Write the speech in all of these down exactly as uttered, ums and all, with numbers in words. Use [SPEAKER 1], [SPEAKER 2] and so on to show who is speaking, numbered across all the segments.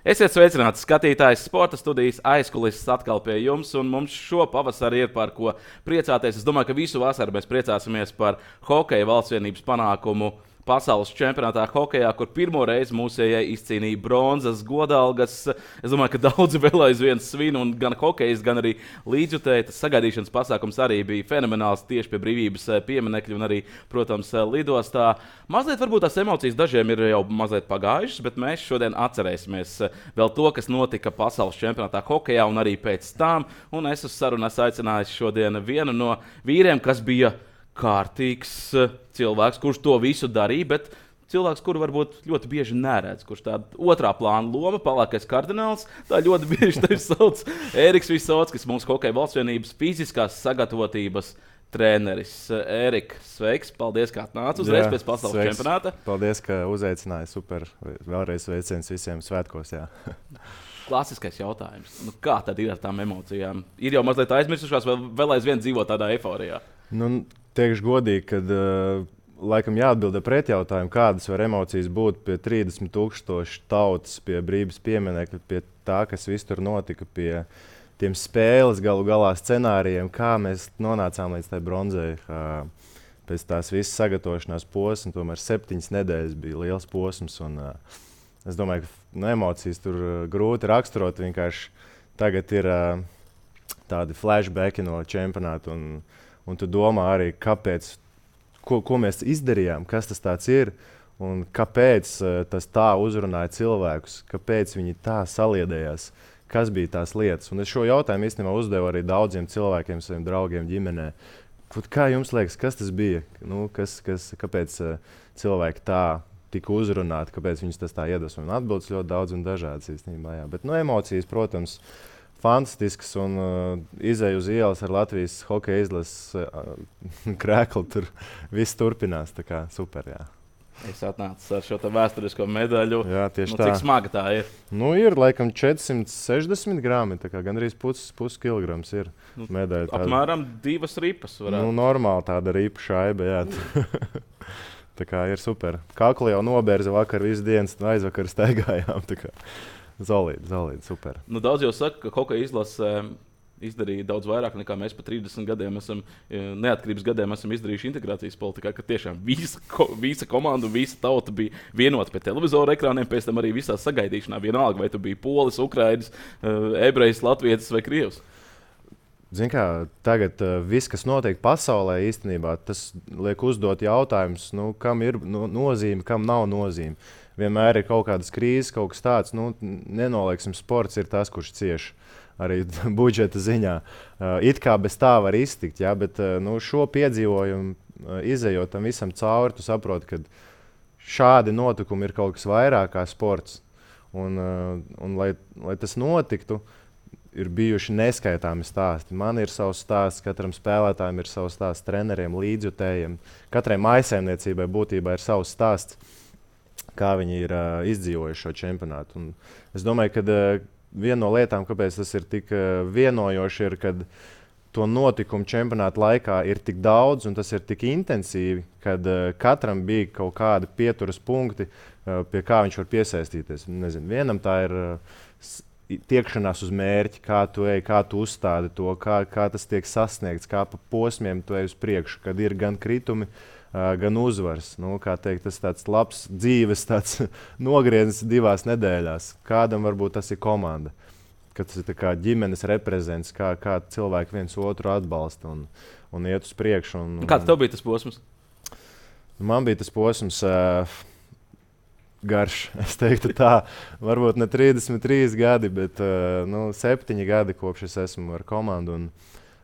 [SPEAKER 1] Esiet sveicināti, skatītājs, sporta studijas aizkulises atkal pie jums, un mums šo pavasari ir par ko priecāties. Es domāju, ka visu vasaru mēs priecāsimies par hokeja valstsvienības panākumu pasaules čempionātā hokejā, kur pirmo reizi mūsējai izcīnīja bronzas godalgas. Es domāju, ka daudzi vēl aizvien svin, un gan hokejs, gan arī līdzjutēji. Tas sagaidīšanas pasākums arī bija fenomenāls tieši pie brīvības pieminekļa un arī, protams, lidostā. Mazliet varbūt tās emocijas dažiem ir jau mazliet pagājušas, bet mēs šodien atcerēsimies vēl to, kas notika pasaules čempionātā hokejā un arī pēc tam. Un es uz sarunu esmu aicinājis šodien vienu no vīriem, kas bija kārtīgs cilvēks, kurš to visu darīja, bet cilvēks, kuru varbūt ļoti bieži neredz, kurš tāda otrā plāna loma, palākais kardināls, tā ļoti bieži tevi sauc Ēriks Visockis, mūsu hokeja valstsvienības fiziskās sagatavotības treneris. Ērik, sveiks, paldies, ka atnāc uzreiz pēc pasaules sveiks. Čempionāta.
[SPEAKER 2] Paldies, ka uzaicināji, super, vēlreiz sveiciens visiem svētkos, jā.
[SPEAKER 1] Klasiskais jautājums, nu, kā tad ir ar tām emocijām? Ir jau mazliet aizmirsušās, vai vēl aizvien dzīvo tādā eiforijā?
[SPEAKER 2] Nu, teikšu godīgi, ka uh, laikam jāatbild ar pretjautājumu, kādas var emocijas būt pie trīsdesmit tūkstoši tautas, pie brīvības pieminekļa, pie tā, kas viss tur notika, pie tiem spēles galu galā scenārijiem, kā mēs nonācām līdz tai bronzai. Uh, pēc tās visas sagatavošanās posmas, tomēr septiņas nedēļas bija liels posms. Un, uh, es domāju, ka nu, emocijas tur uh, grūti raksturot. Vienkārši tagad ir uh, tādi flashbacki no čempionāta. Un, Un tu domā arī, kāpēc, ko, ko mēs izdarījām, kas tas tāds ir un kāpēc uh, tas tā uzrunāja cilvēkus, kāpēc viņi tā saliedējās, kas bija tās lietas. Un es šo jautājumu īstenībā uzdevu arī daudziem cilvēkiem, saviem draugiem, ģimenē. Kā jums liekas, kas tas bija? Nu, kas, kas, kāpēc uh, cilvēki tā tika uzrunāti, kāpēc viņus tas tā iedvesmo? Un atbildes ļoti daudz un dažādas īstenībā. Jā. Bet nu, emocijas, protams, fantastisks un uh, izēju uz ielas ar Latvijas hokeja izlases uh, krēklu. Tur viss turpinās. Tā kā super, jā.
[SPEAKER 1] Es atnācu ar šo vēsturisko medaļu.
[SPEAKER 2] Jā, tieši
[SPEAKER 1] nu,
[SPEAKER 2] tā.
[SPEAKER 1] Cik smaga tā ir?
[SPEAKER 2] Nu, ir laikam četri simti sešdesmit grami. Tā kā gandrīz pus, pus kilograms ir
[SPEAKER 1] nu,
[SPEAKER 2] medaļa.
[SPEAKER 1] Apmēram divas ripas varētu.
[SPEAKER 2] Nu, normāli tāda ripa šaiba, jā. Tā kā ir super. Kaklu jau nobērza vakar visu dienas, un aizvakar staigājām. Tā kā Zolīdi, zolīdi, super.
[SPEAKER 1] Nu, daudz jau saka, ka hokeja izlase izdarīja daudz vairāk nekā mēs pa trīsdesmit gadiem esam, neatkarības gadiem esam izdarījuši integrācijas politikā, ka tiešām visa, ko, visa komanda un visa tauta bija vienota pie televizora ekrāniem, pēc tam arī visā sagaidīšanā vienalga, vai tu biji polis, ukrainis, ebrejs, latvietis vai krievs.
[SPEAKER 2] Zin kā, tagad uh, viss, kas notiek pasaulē īstenībā, tas liek uzdot jautājumus, nu, kam ir no, nozīme, kam nav nozīme. Vienmēr ir kaut kādas krīzes, kaut kas tāds, nu, nenolieksim, sports ir tas, kurš cieš arī budžeta ziņā. Uh, it kā bez tā var iztikt, jā, bet uh, nu, šo piedzīvojumu uh, izejot tam visam cauri, tu saproti, ka šādi notikumi ir kaut kas vairāk kā sports. Un, uh, un lai, lai tas notiktu, ir bijuši neskaitāmi stāsti. Man ir savs stāsts, katram spēlētājam ir savs stāsts, treneriem, līdzjutējiem. Katrai mājsaimniecībai būtībā ir savs stāsts, kā viņi ir uh, izdzīvojuši šo čempionātu. Un es domāju, ka uh, viena no lietām, kāpēc tas ir tik uh, vienojoši, ir, kad to notikumu čempionāta laikā ir tik daudz un tas ir tik intensīvi, kad uh, katram bija kaut kādi pieturas punkti, uh, pie kā viņš var piesaistīties. Nezinu, vienam tā ir uh, tiekšanās uz mērķi, kā tu ej, kā tu uzstādi to, kā, kā tas tiek sasniegts, kā pa posmiem tu ej uz priekšu, kad ir gan kritumi, Uh, gan uzvars. Nu, kā teikt, tas tāds labs dzīves tāds nogrieznis divās nedēļās. Kādam varbūt tas ir komanda, ka tas ir tā kā ģimenes reprezents, kā, kā cilvēki viens otru atbalsta un, un iet uz priekšu. Un, un,
[SPEAKER 1] Kāds tev bija tas posms?
[SPEAKER 2] Man bija tas posms uh, garš, es teiktu tā. Varbūt ne trīsdesmit trīs gadi, bet uh, nu, septiņi gadi kopš es esmu ar komandu. Un,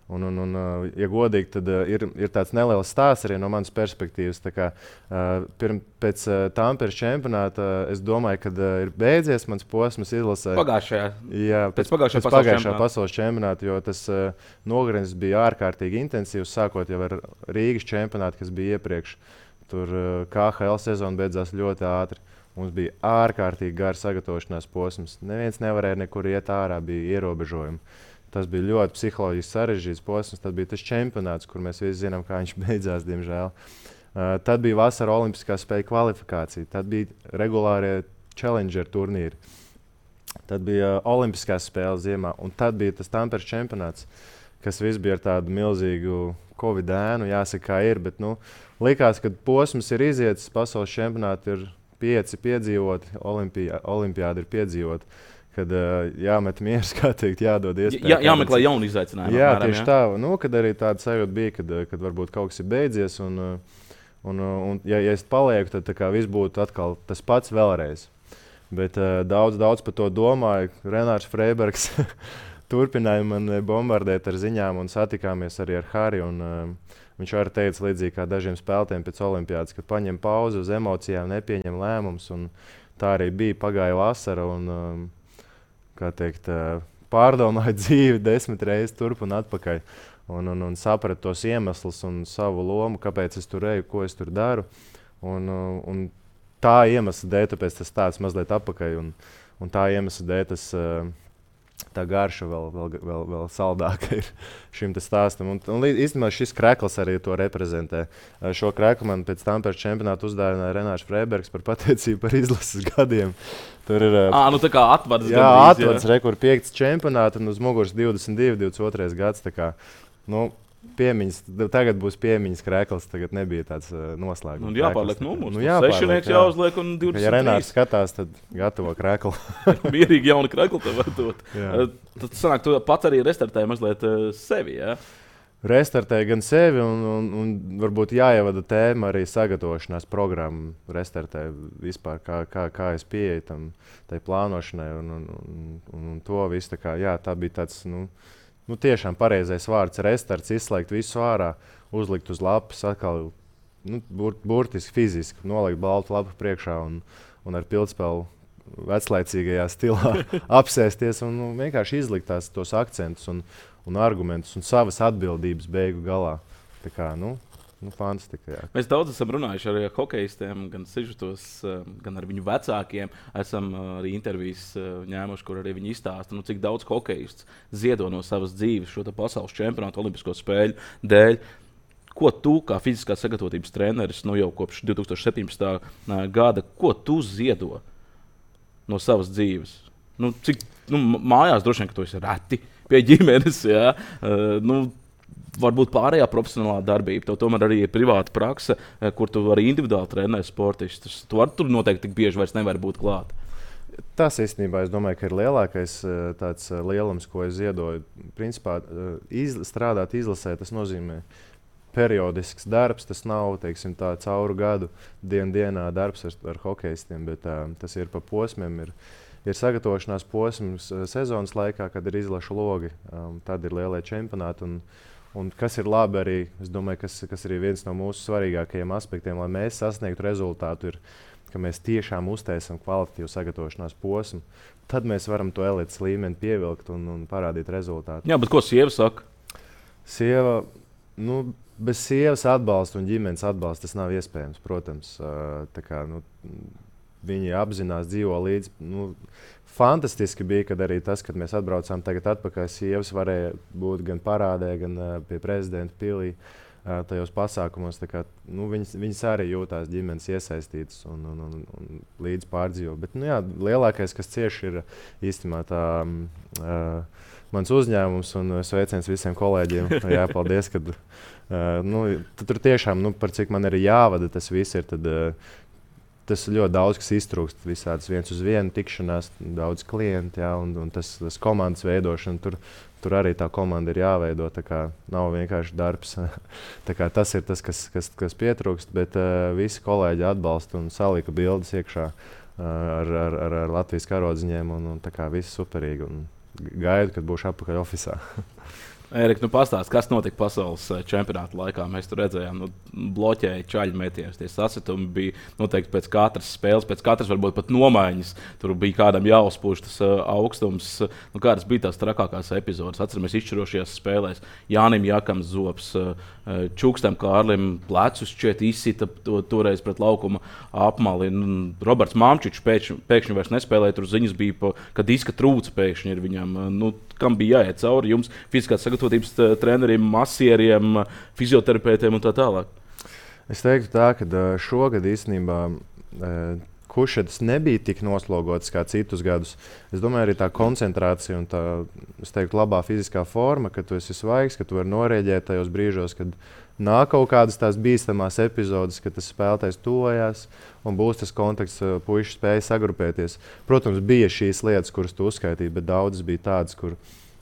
[SPEAKER 2] Un, un, un, ja godīgi, tad uh, ir, ir tāds neliels stāsts arī no manas perspektīvas. Tā kā, uh, pirm, pēc uh, Tamperes čempionāta uh, es domāju, ka uh, ir beidzies mans posms izlasē.
[SPEAKER 1] Pagājušajā.
[SPEAKER 2] Jā, pēc,
[SPEAKER 1] pēc pagājušā,
[SPEAKER 2] pēc
[SPEAKER 1] pasaules,
[SPEAKER 2] pagājušā
[SPEAKER 1] čempionāta.
[SPEAKER 2] pasaules čempionāta, jo tas uh, nogrieznis bija ārkārtīgi intensīvs, sākot jau ar Rīgas čempionātu, kas bija iepriekš. Tur uh, K H L sezona beidzās ļoti ātri. Mums bija ārkārtīgi gars sagatavošanās posms. Neviens nevarēja nekur iet ārā, bija ierobežojumi. Tas bija ļoti psiholoģiski sarežģīts posms. Tad bija tas čempionāts, kur mēs visi zinām, kā viņš beidzās, diemžēl. Uh, tad bija vasara olimpiskā spēļu kvalifikācija. Tad bija regulārie Challenger turnīri. tad bija Olimpiskās spēles ziemā, un tad bija tas Tamperes čempionāts, kas viss bija ar tādu milzīgu Covid ēnu, jāsaka, kā ir. Bet, nu, likās, ka posms ir izietis, pasaules čempionāti ir pieci piedzīvoti, olimpiā, olimpiādi ir piedzīvoti. Kad uh, jāmet miers, kā teikt, jādod iespēju.
[SPEAKER 1] Jā, jāmeklē jauni izaicinājumi.
[SPEAKER 2] Jā,
[SPEAKER 1] apmēram,
[SPEAKER 2] tieši
[SPEAKER 1] jā.
[SPEAKER 2] tā. Nu, kad arī tāda sajūta bija, kad, kad varbūt kaut kas ir beidzies. Un, un, un ja, ja es palieku, tad kā, viss būtu atkal tas pats vēlreiz. Bet uh, daudz, daudz par to domāju. Renārs Freibergs turpināja man bombardēt ar ziņām un satikāmies arī ar Hariju. Un, uh, viņš arī teica līdzīgi kā dažiem spēlētājiem pēc olimpiādas, kad paņem pauzi uz emocijām, nepieņem lēmumus. Tā arī bija, pagāja vasara. Un, um, kā teikt, pārdomāju dzīvi desmit reizes turp un atpakaļ. Un, un, un sapratu tos iemeslus un savu lomu, kāpēc es tur eju, ko es tur daru. Un, un tā iemesla dēļ, tāpēc tas tāds mazliet atpakaļ. Un, un tā iemesla dēļ tas tā garša vēl, vēl, vēl, vēl saldāka ir šim stāstam. Un, un īstenībā šis krekls arī to reprezentē. Šo kreklu man pēc Tamperes čempionāta uzdāvināja Renārs Freibergs par pateicību par izlases gadiem. Tur ir
[SPEAKER 1] à, nu tā kā atvads.
[SPEAKER 2] Jā, atvads, re, kur piekts čempionāta un uz muguras divdesmit divi, divdesmit otrais gads. Tā kā, nu, piemiņas, tagad būs piemiņas krekls, tagad nebija tāds uh, noslēgums.
[SPEAKER 1] Nu, jāpārliek numurs.
[SPEAKER 2] Nu,
[SPEAKER 1] sešnieks jā. Jāuzliek un divdesmit trīs.
[SPEAKER 2] Ja Renārs skatās, tad gatavo kreklu.
[SPEAKER 1] Mierīgi jauni krekli tev var dot. Uh, tad sanāk, tu pats arī restartēji mazliet uh, sevi, jā?
[SPEAKER 2] Restartēju gan sevi un, un, un varbūt jāievada tēma arī sagatavošanās programmu. Restartēju vispār, kā, kā, kā es pieeju tam, tai plānošanai un, un, un, un, un to visu. Tā, kā, jā, tā bija tāds, nu, nu tiešām pareizais vārds. Restarts, izslēgt visu ārā, uzlikt uz lapas, atkal nu, bur, burtiski fiziski nolikt baltu lapu priekšā un, un ar pildspēlu veclaicīgajā stilā apsēsties un nu, vienkārši izlikt tās, tos akcentus un, un argumentus un savas atbildības beigu galā. Tā kā, nu, nu fantastika. Jā.
[SPEAKER 1] Mēs daudz esam runājuši ar hokejistiem, gan sižetos, gan ar viņu vecākiem. Esam arī intervijas ņēmuši, kur arī viņi izstāsta, nu, cik daudz hokejists ziedo no savas dzīves šo pasaules čempionātu olimpisko spēļu dēļ. Ko tu, kā fiziskās sagatavotības treneris, nu jau kopš divi tūkstoši septiņpadsmitā gada, ko tu ziedo no savas dzīves? Nu, cik nu, mājās droši vien, ka tu esi reti pie ģimenes, jā. Uh, nu, varbūt pārējā profesionālā darbība. Tev tomēr arī ir privāta prakse, kur tu vari individuāli trenēt sportistus. Tu ar tur noteikti tik bieži vairs nevar būt klāt.
[SPEAKER 2] Tas īstenībā, es domāju, ka ir lielākais tāds lielums, ko es ziedoju. Principā iz, strādāt izlasē, tas nozīmē periodisks darbs. Tas nav, teiksim, tā cauru gadu dien dienā darbs ar, ar hokejistiem, bet tā, tas ir pa posmiem. Ir, ir sagatavošanās posms sezonas laikā, kad ir izlaša logi. Um, tad ir lielie čempionāti. Un, un kas ir labi arī, es domāju, kas, kas ir viens no mūsu svarīgākajiem aspektiem, lai mēs sasniegtu rezultātu, ir, ka mēs tiešām uztaisam kvalitatīvu sagatavošanās posmu. Tad mēs varam to elites līmeni pievilkt un, un parādīt rezultātu.
[SPEAKER 1] Jā, bet ko sieva saka?
[SPEAKER 2] Sieva, nu, bez sievas atbalsta un ģimenes atbalsta tas nav iespējams, protams. Tā kā, nu, viņi apzinās, dzīvo līdzi. Nu, fantastiski bija, kad arī tas, kad mēs atbraucām tagad atpakaļ, sievas varēja būt gan parādē, gan pie prezidenta pilī tajos pasākumos. Tā kā, nu, viņas, viņas arī jūtās ģimenes iesaistītas un, un, un, un līdz pārdzīvo. Bet nu, jā, lielākais, kas cieši ir īstenībā tā uh, mans uzņēmums un sveiciens visiem kolēģiem. Jā, paldies, kad uh, nu, tur tiešām, nu, par cik man ir jāvada tas viss ir, tad uh, tas ļoti daudz, kas iztrūkst. Visādas viens uz vienu tikšanās, daudz klientu, jā, un, un tas, tas komandas veidošana, tur, tur arī tā komanda ir jāveido. Tā kā nav vienkārši darbs. Tā kā tas ir tas, kas, kas, kas pietrūkst, bet uh, visi kolēģi atbalsta un salika bildes iekšā uh, ar, ar, ar, ar Latvijas karodziņiem, un, un tā kā viss superīgi. Un gaidu, kad būšu atpakaļ ofisā.
[SPEAKER 1] Ērika, nu pastāsti, kas notika pasaules čempionāta laikā? Mēs tur redzējām, nu, bloķēja čaļu metienus. Tie sasitumi bija noteikti pēc katras spēles, pēc katras varbūt pat nomaiņas. Tur bija kādam jāuzpūš tas uh, augstums. Nu, kādas bija tās trakākās epizodes? Atceramies izšķirošajās spēlēs. Jānim Jakam zops, uh, Čukstam Kārlim plecus šķiet izsita to, toreiz pret laukuma apmali. Roberts Mamčičs pēkšņi, pēkšņi vairs nespēlēja. Tur ziņas bija, pa, ka diska trūca pēkšņi ir viņam. Nu, kam bija jāiet cauri jums, fiziskās sagatavotības treneriem, masieriem, fizioterapeitiem un tā tālāk?
[SPEAKER 2] Es teiktu tā, ka šogad īstenībā Hušetis nebija tik noslogots kā citus gadus. Es domāju, arī tā koncentrācija un tā, es teiktu, labā fiziskā forma, ka tu esi svaigs, ka tu vari norēģēt tajos brīžos, kad nāk kaut kādas tās bīstamās epizodes, kad tas spēlētājs tuvojās un būs tas kontakts, puiši spēja sagrupēties. Protams, bija šīs lietas, kuras tu uzskaitīji, bet daudzas bija tādas, kur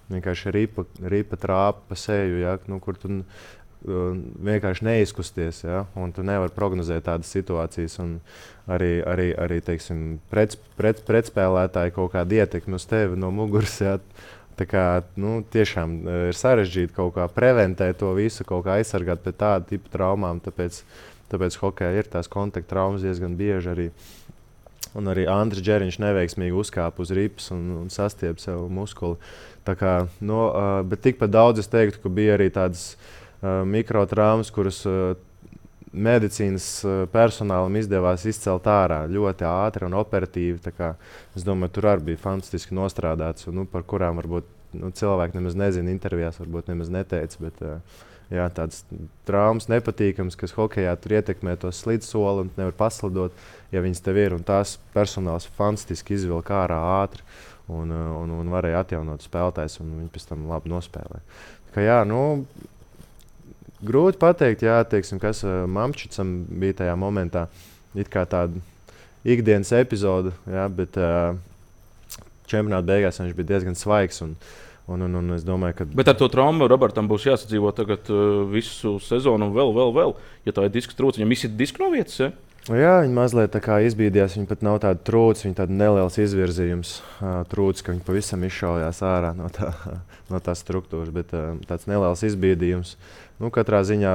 [SPEAKER 2] vienkārši ripa, ripa trāpa pa seju, ja? Nu, kur tu vienkārši neizkusties, ja? Un tu nevari prognozēt tādas situācijas. Un arī, arī, arī teiksim, pret, pret, pretspēlētāji kaut kādu ietekmi uz tevi no muguras. Ja? Tā kā, nu, tiešām ir sarežģīti kaut kā preventēt to visu, kaut kā aizsargāt pret tādu tipu traumām. Tāpēc, tāpēc hokejā ir tās kontakta traumas diezgan bieži arī. Un arī Andris Džeriņš neveiksmīgi uzkāpa uz ripas un, un sastiep sev muskuli. Tā kā, no, uh, bet tikpat daudz es teiktu, ka bija arī tādas uh, mikrotraumas, kuras uh, medicīnas personālam izdevās izcelt ārā ļoti ātri un operatīvi. Tā kā, es domāju, tur arī bija fantastiski nostrādāts, un, nu, par kurām varbūt nu, cilvēki nemaz nezina, intervijās varbūt nemaz neteica. Bet, jā, tādas traumas nepatīkamas, kas hokejā tur ietekmē to slidsoli un nevar paslidot, ja viņas tev ir. Un tās personāls fantastiski izvilka ārā ātri un, un, un varēja atjaunot spēlētājs, un viņi pēc tam labi nospēlēja. Tā kā, jā, nu, grūti pateikt, jā, teiksim, kas uh, Mamčicam bija tajā momentā. It kā tāda ikdienas epizode, jā, bet uh, čempionāta beigās viņš bija diezgan svaigs. Un, un, un, un es domāju, ka...
[SPEAKER 1] Bet ar to traumu Robertam būs jāsadzīvo tagad uh, visu sezonu un vēl, vēl, vēl. Ja tā ir disks trūcis, viņam visi diski no vietas, ja?
[SPEAKER 2] Jā, viņi mazliet tā kā izbīdījās, viņi pat nav tāda trūcis, viņi tāda neliels izvirzījums uh, trūcis, ka viņi pavisam izšaujās ārā no, tā, no tās struktūras, bet uh, tāds neliels izbīdījums. Nu, katrā ziņā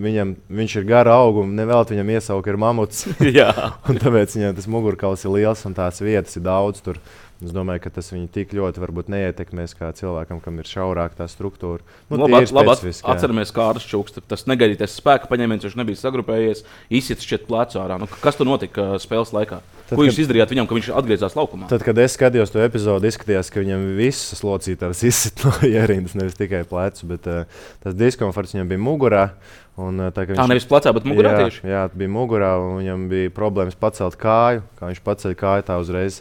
[SPEAKER 2] viņam, viņš ir gara auguma, nevēlt viņam iesauka ir mamuts. Un tāpēc viņam tas mugurkauls ir liels un tās vietas ir daudz tur. Es domāju, ka tas viņu tik ļoti varbūt neietekmēs kā cilvēkam, kam ir šaurāk tā struktūra. Nu,
[SPEAKER 1] nu, labi, labi atceramies Kārlis Čukste. Tas negaidītais spēka paņēmiens, viņš nebija sagrupējies, izsits šķiet plecu ārā. Nu, kas tur notika spēles laikā? Tad, Ko jūs kad, izdarījāt viņam, ka viņš atgriezās laukumā?
[SPEAKER 2] Tad, kad es skatījos to epizodu, izskatījās, ka viņam visas locītājs izsit no ierindas, nevis tikai plecu, bet uh, tas diskomforts viņam bija mugurā. Un, tā, viņš,
[SPEAKER 1] à, nevis plecā, bet mugurā
[SPEAKER 2] jā,
[SPEAKER 1] tieši?
[SPEAKER 2] Jā, bija mugurā, un viņam bija problēmas pacelt kāju. Kā viņš paceļ kāju, tā uzreiz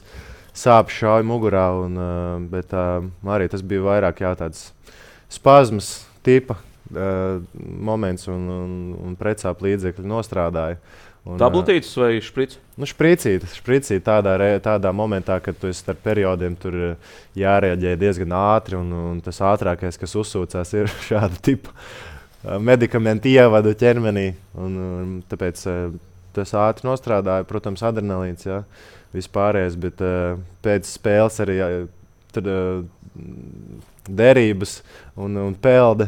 [SPEAKER 2] sāp šauja mugurā. Un, uh, bet uh, arī tas bija vairāk jā, tāds spazmas tipa uh, moments, un, un, un precāp līdzekļi nostrādāja.
[SPEAKER 1] Tabletītes vai šprits?
[SPEAKER 2] Nu, špricīt, špricīt tādā, re, tādā momentā, kad tu esi starp periodiem, tur jārēģē diezgan ātri, un, un tas ātrākais, kas uzsūcās, ir šāda tipa medikamenti ievada ķermenī. Un, un, tāpēc tas ātri nostrādāja, protams, adrenalīns, jā, vispārējais, bet uh, pēc spēles arī jā, tad, uh, derības un, un pelde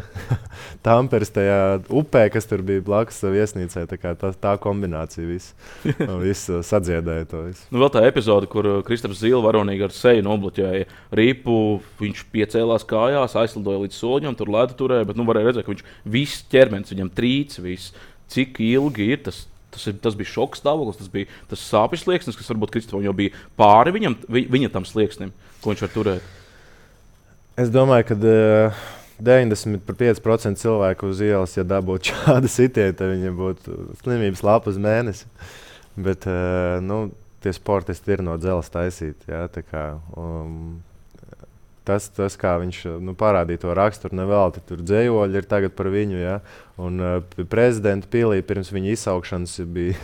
[SPEAKER 2] Tamperes tajā upē, kas tur bija blakus viesnīcai. Tā, tā, tā kombinācija viss vis sadziedēja to visu.
[SPEAKER 1] Nu, vēl tā epizode, kur Kristaps Zīle varonīgi ar seju nobloķēja ripu, viņš piecēlās kājās, aizlidoja līdz soliņam, tur ledu turēja, bet nu, varēja redzēt, ka viņš viss ķermenis, viņam trīc, viss, cik ilgi ir tas. Tas, ir, tas bija šoks stāvoklis, tas bija tas sāpju slieksnis, kas varbūt Kristapam jau bija pāri viņam, vi, viņa tam slieksnim, ko viņš var turēt.
[SPEAKER 2] Es domāju, ka uh, deviņdesmit pieci procenti cilvēku uz ielas, ja dabūtu šādu sitienu, tad viņiem būtu slimības lapa uz mēnesi. Bet uh, nu, tie sportisti ir no dzeles taisīti. Ja, kā, um, tas, tas, kā viņš nu, parādīja to raksturu, nevelti tur dzējoļi ir tagad par viņu. Ja, un uh, prezidenta pilī pirms viņa izsaukšanas bija,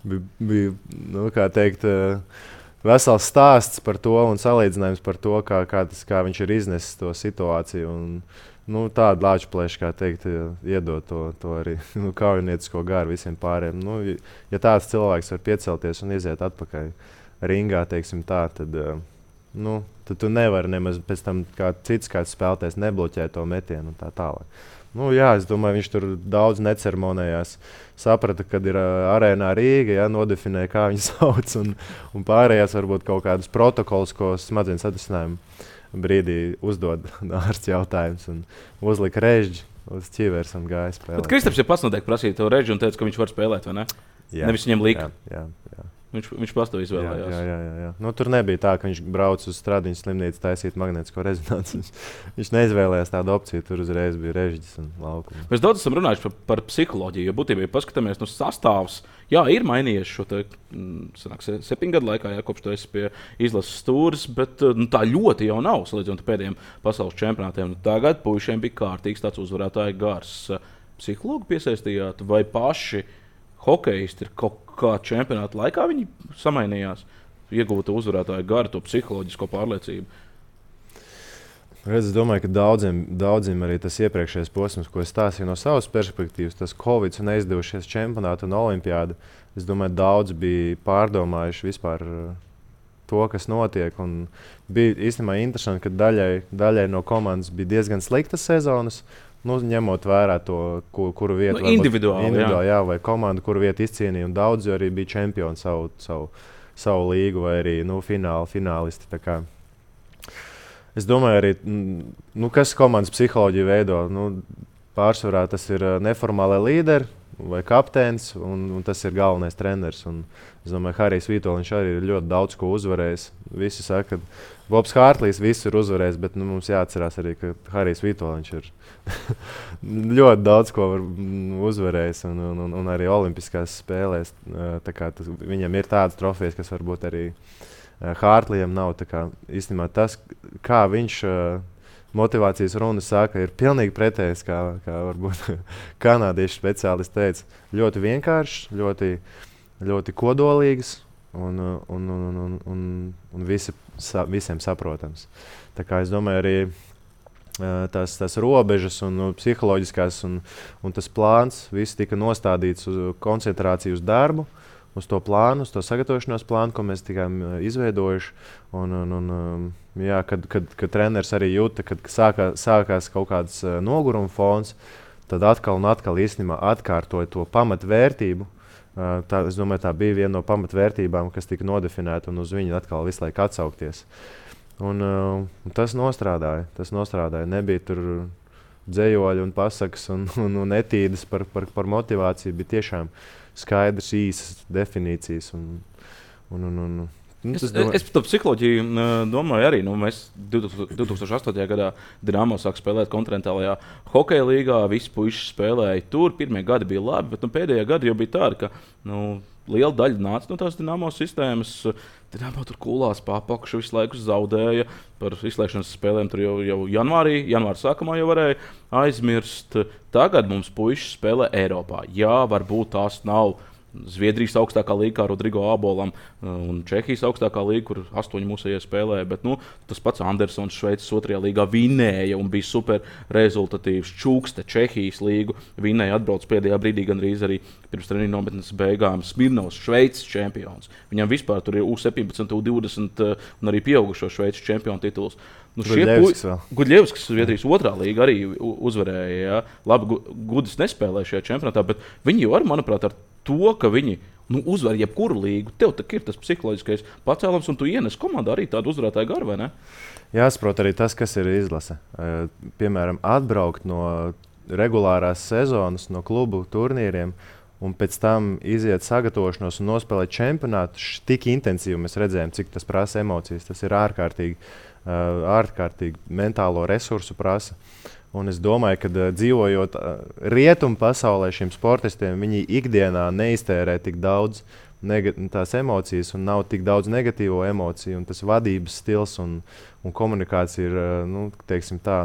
[SPEAKER 2] bija, bija nu, kā teikt, uh, vesels stāsts par to un salīdzinājums par to, kā, kā, tas, kā viņš ir iznesis to situāciju. Un, nu, tādu lāču plēšu, kā teikt, iedot to, to arī nu, kaujiniecisko garu visiem pārējiem. Nu, ja tāds cilvēks var piecelties un iziet atpakaļ ringā, teiksim tā, tad, nu, tad tu nevari nemaz pēc tam kā cits kāds spēlētājs nebloķēt to metienu un tā tālāk. Nu, jā, es domāju, viņš tur daudz neceremonējās. Saprata, kad ir uh, arēnā Rīga, ja, nodefinēja, kā viņu sauc, un, un pārējās varbūt kaut kādus protokolus, ko smadzenes atrisinājumu brīdī uzdod ārsts jautājums, un uzlika režģi uz ķīveres un gāja spēlēt.
[SPEAKER 1] Bet Kristaps jau pats noteikti prasīja to režģi un teica, ka viņš var spēlēt, vai ne?
[SPEAKER 2] Jā,
[SPEAKER 1] nevis viņam lika.
[SPEAKER 2] Jā, jā, jā.
[SPEAKER 1] Viņš, viņš pats to izvēlējās.
[SPEAKER 2] Jā, jā, jā, jā. Nu, tur nebija tā, ka viņš brauc uz Stradiņas slimnīcu taisīt magnētisko rezonanci. Viņš neizvēlējās tādu opciju, tur uzreiz bija režģis un laukums.
[SPEAKER 1] Mēs daudz esam runājuši par, par psiholoģiju, jo būtībā, ja paskatāmies no sastāvs, jā, ir mainījies šo te, sanāk, septiņu gadu laikā, jā, kopš tu esi pie izlases stūres, bet nu, tā ļoti jau nav, salīdzinot ar pēdējiem pasaules čempionātiem. Tagad puišiem bija kārtīgs tāds uzvarētāju gars. Psihologi piesaistījāt vai paši hokejisti ir kaut kā čempionāta laikā viņi samainījās, iegūta uzvarētāja garu, to psiholoģisko pārliecību?
[SPEAKER 2] Redz, es domāju, ka daudziem, daudziem arī tas iepriekšējais posms, ko es stāstīju no savas perspektīvas, tas Covid un neizdevušies čempionāti un olimpiādi, es domāju, daudz bija pārdomājuši vispār to, kas notiek. Un bija īstenībā interesanti, ka daļai, daļai no komandas bija diezgan sliktas sezonas, nu, ņemot vērā to, kur, kuru vietu
[SPEAKER 1] nu, individuāli,
[SPEAKER 2] individuāli
[SPEAKER 1] jā.
[SPEAKER 2] Jā, vai komandu, kuru vietu izcīnīja. Daudzi arī bija čempioni savu, savu, savu līgu vai arī nu, fināli, finālisti. Es domāju, arī, nu, kas komandas psiholoģiju veido. Nu, pārsvarā tas ir neformālai līderi vai kapteinis, un, un tas ir galvenais treneris. Un, es domāju, ka Harijs Vitoļņš arī ir ļoti daudz ko uzvarējis. Visi saka, ka Bobs Hārtlīs visu ir uzvarējis, bet nu, mums jāatcerās arī, ka Harijs Vitoļņš ir ļoti daudz ko uzvarējis. Un, un, un, un arī olimpiskās spēlēs. Tā tas, viņam ir tādas trofejas, kas varbūt arī Hārtlījam nav. Kā, īstenībā tas, kā viņš motivācijas runa saka, ir pilnīgi pretējs, kā, kā varbūt kanādiešu speciālisti teica. Ļoti vienkāršs, ļoti, ļoti kodolīgs un, un, un, un, un, un visi, sa, visiem saprotams. Tā kā es domāju, arī tās, tās robežas un psiholoģiskās un, un tas plāns, viss tika nostādīts uz koncentrāciju uz darbu, uz to plānu, uz to sagatavošanās plānu, ko mēs tikām izveidojuši. Un, un, un, jā, kad, kad, kad treneris arī jūta, kad sākā, sākās kaut kāds noguruma fons, tad atkal un atkal īstenībā atkārtoja to pamatvērtību. Tā, es domāju, tā bija viena no pamatvērtībām, kas tika nodefinēta, un uz viņu atkal visu laiku atsaukties. Un, un tas nostrādāja. Tas nostrādāja. Nebija tur dzējoļi un pasakas un, un, un etīdes par, par, par motivāciju. Bija tiešām skaidrs, īsas definīcijas. Un, un, un, un, un,
[SPEAKER 1] es, domāju... es par to psiholoģiju domāju arī. Nu, mēs divtūkstoš astotajā gadā Dinamo sāk spēlēt kontinentālajā hokeja līgā. Visi puiši spēlēja tur. Pirmie gadi bija labi, bet nu, pēdējā gadi jau bija tādi, ka nu, liela daļa nāca no tās Dinamo sistēmas. Dinamo tur kulās pārpakšu visu laiku zaudēja. Par izslēgšanas spēlēm tur jau, jau janvārī, janvāra sākumā jau varēja aizmirst. Tagad mums puiši spēlē Eiropā. Jā, varbūt tās nav Zviedrijas augstākā līga, kā Rodrigo Abolam, un Čehijas augstākā līga, kur astoņi mūsējie spēlēja. Bet, nu, tas pats Andersons Šveices otrajā līgā vinēja un bija super rezultatīvs. Čūkste Čehijas līgu vinēja, atbrauc pēdējā brīdī gandrīz arī pirms treniņu nometnes beigām. Smirnovs Šveices čempions. Viņam vispār tur ir U septiņpadsmit, U divdesmit un arī pieaugušo Šveices čempionu tituls. Nu, Gudļevskis, Zviedrijas otrā līga, arī uzvarēja. Jā. Labi, Gudis nespēlēja šajā čempionātā, bet viņi jau var, manuprāt, ar to, ka viņi nu, uzvar jebkuru līgu, tev ir tas psiholoģiskais pacēlums, un tu ienes komandā arī tādu uzvarētāju garu, vai ne?
[SPEAKER 2] Jāsaprot arī tas, kas ir izlase. Piemēram, atbraukt no regulārās sezonas, no klubu turnīriem, un pēc tam iziet sagatavošanos un nospēlēt čempionātu tik intensīvi. Mēs redzējām, cik tas prasa emocijas. Tas ir ārkārtīgi, ārkārtīgi mentālo resursu prasa. Un es domāju, ka uh, dzīvojot uh, rietumu pasaulē, šiem sportistiem, viņi ikdienā neiztērē tik daudz tās emocijas un nav tik daudz negatīvo emociju. Un tas vadības stils un, un komunikācija ir uh, nu, teiksim tā,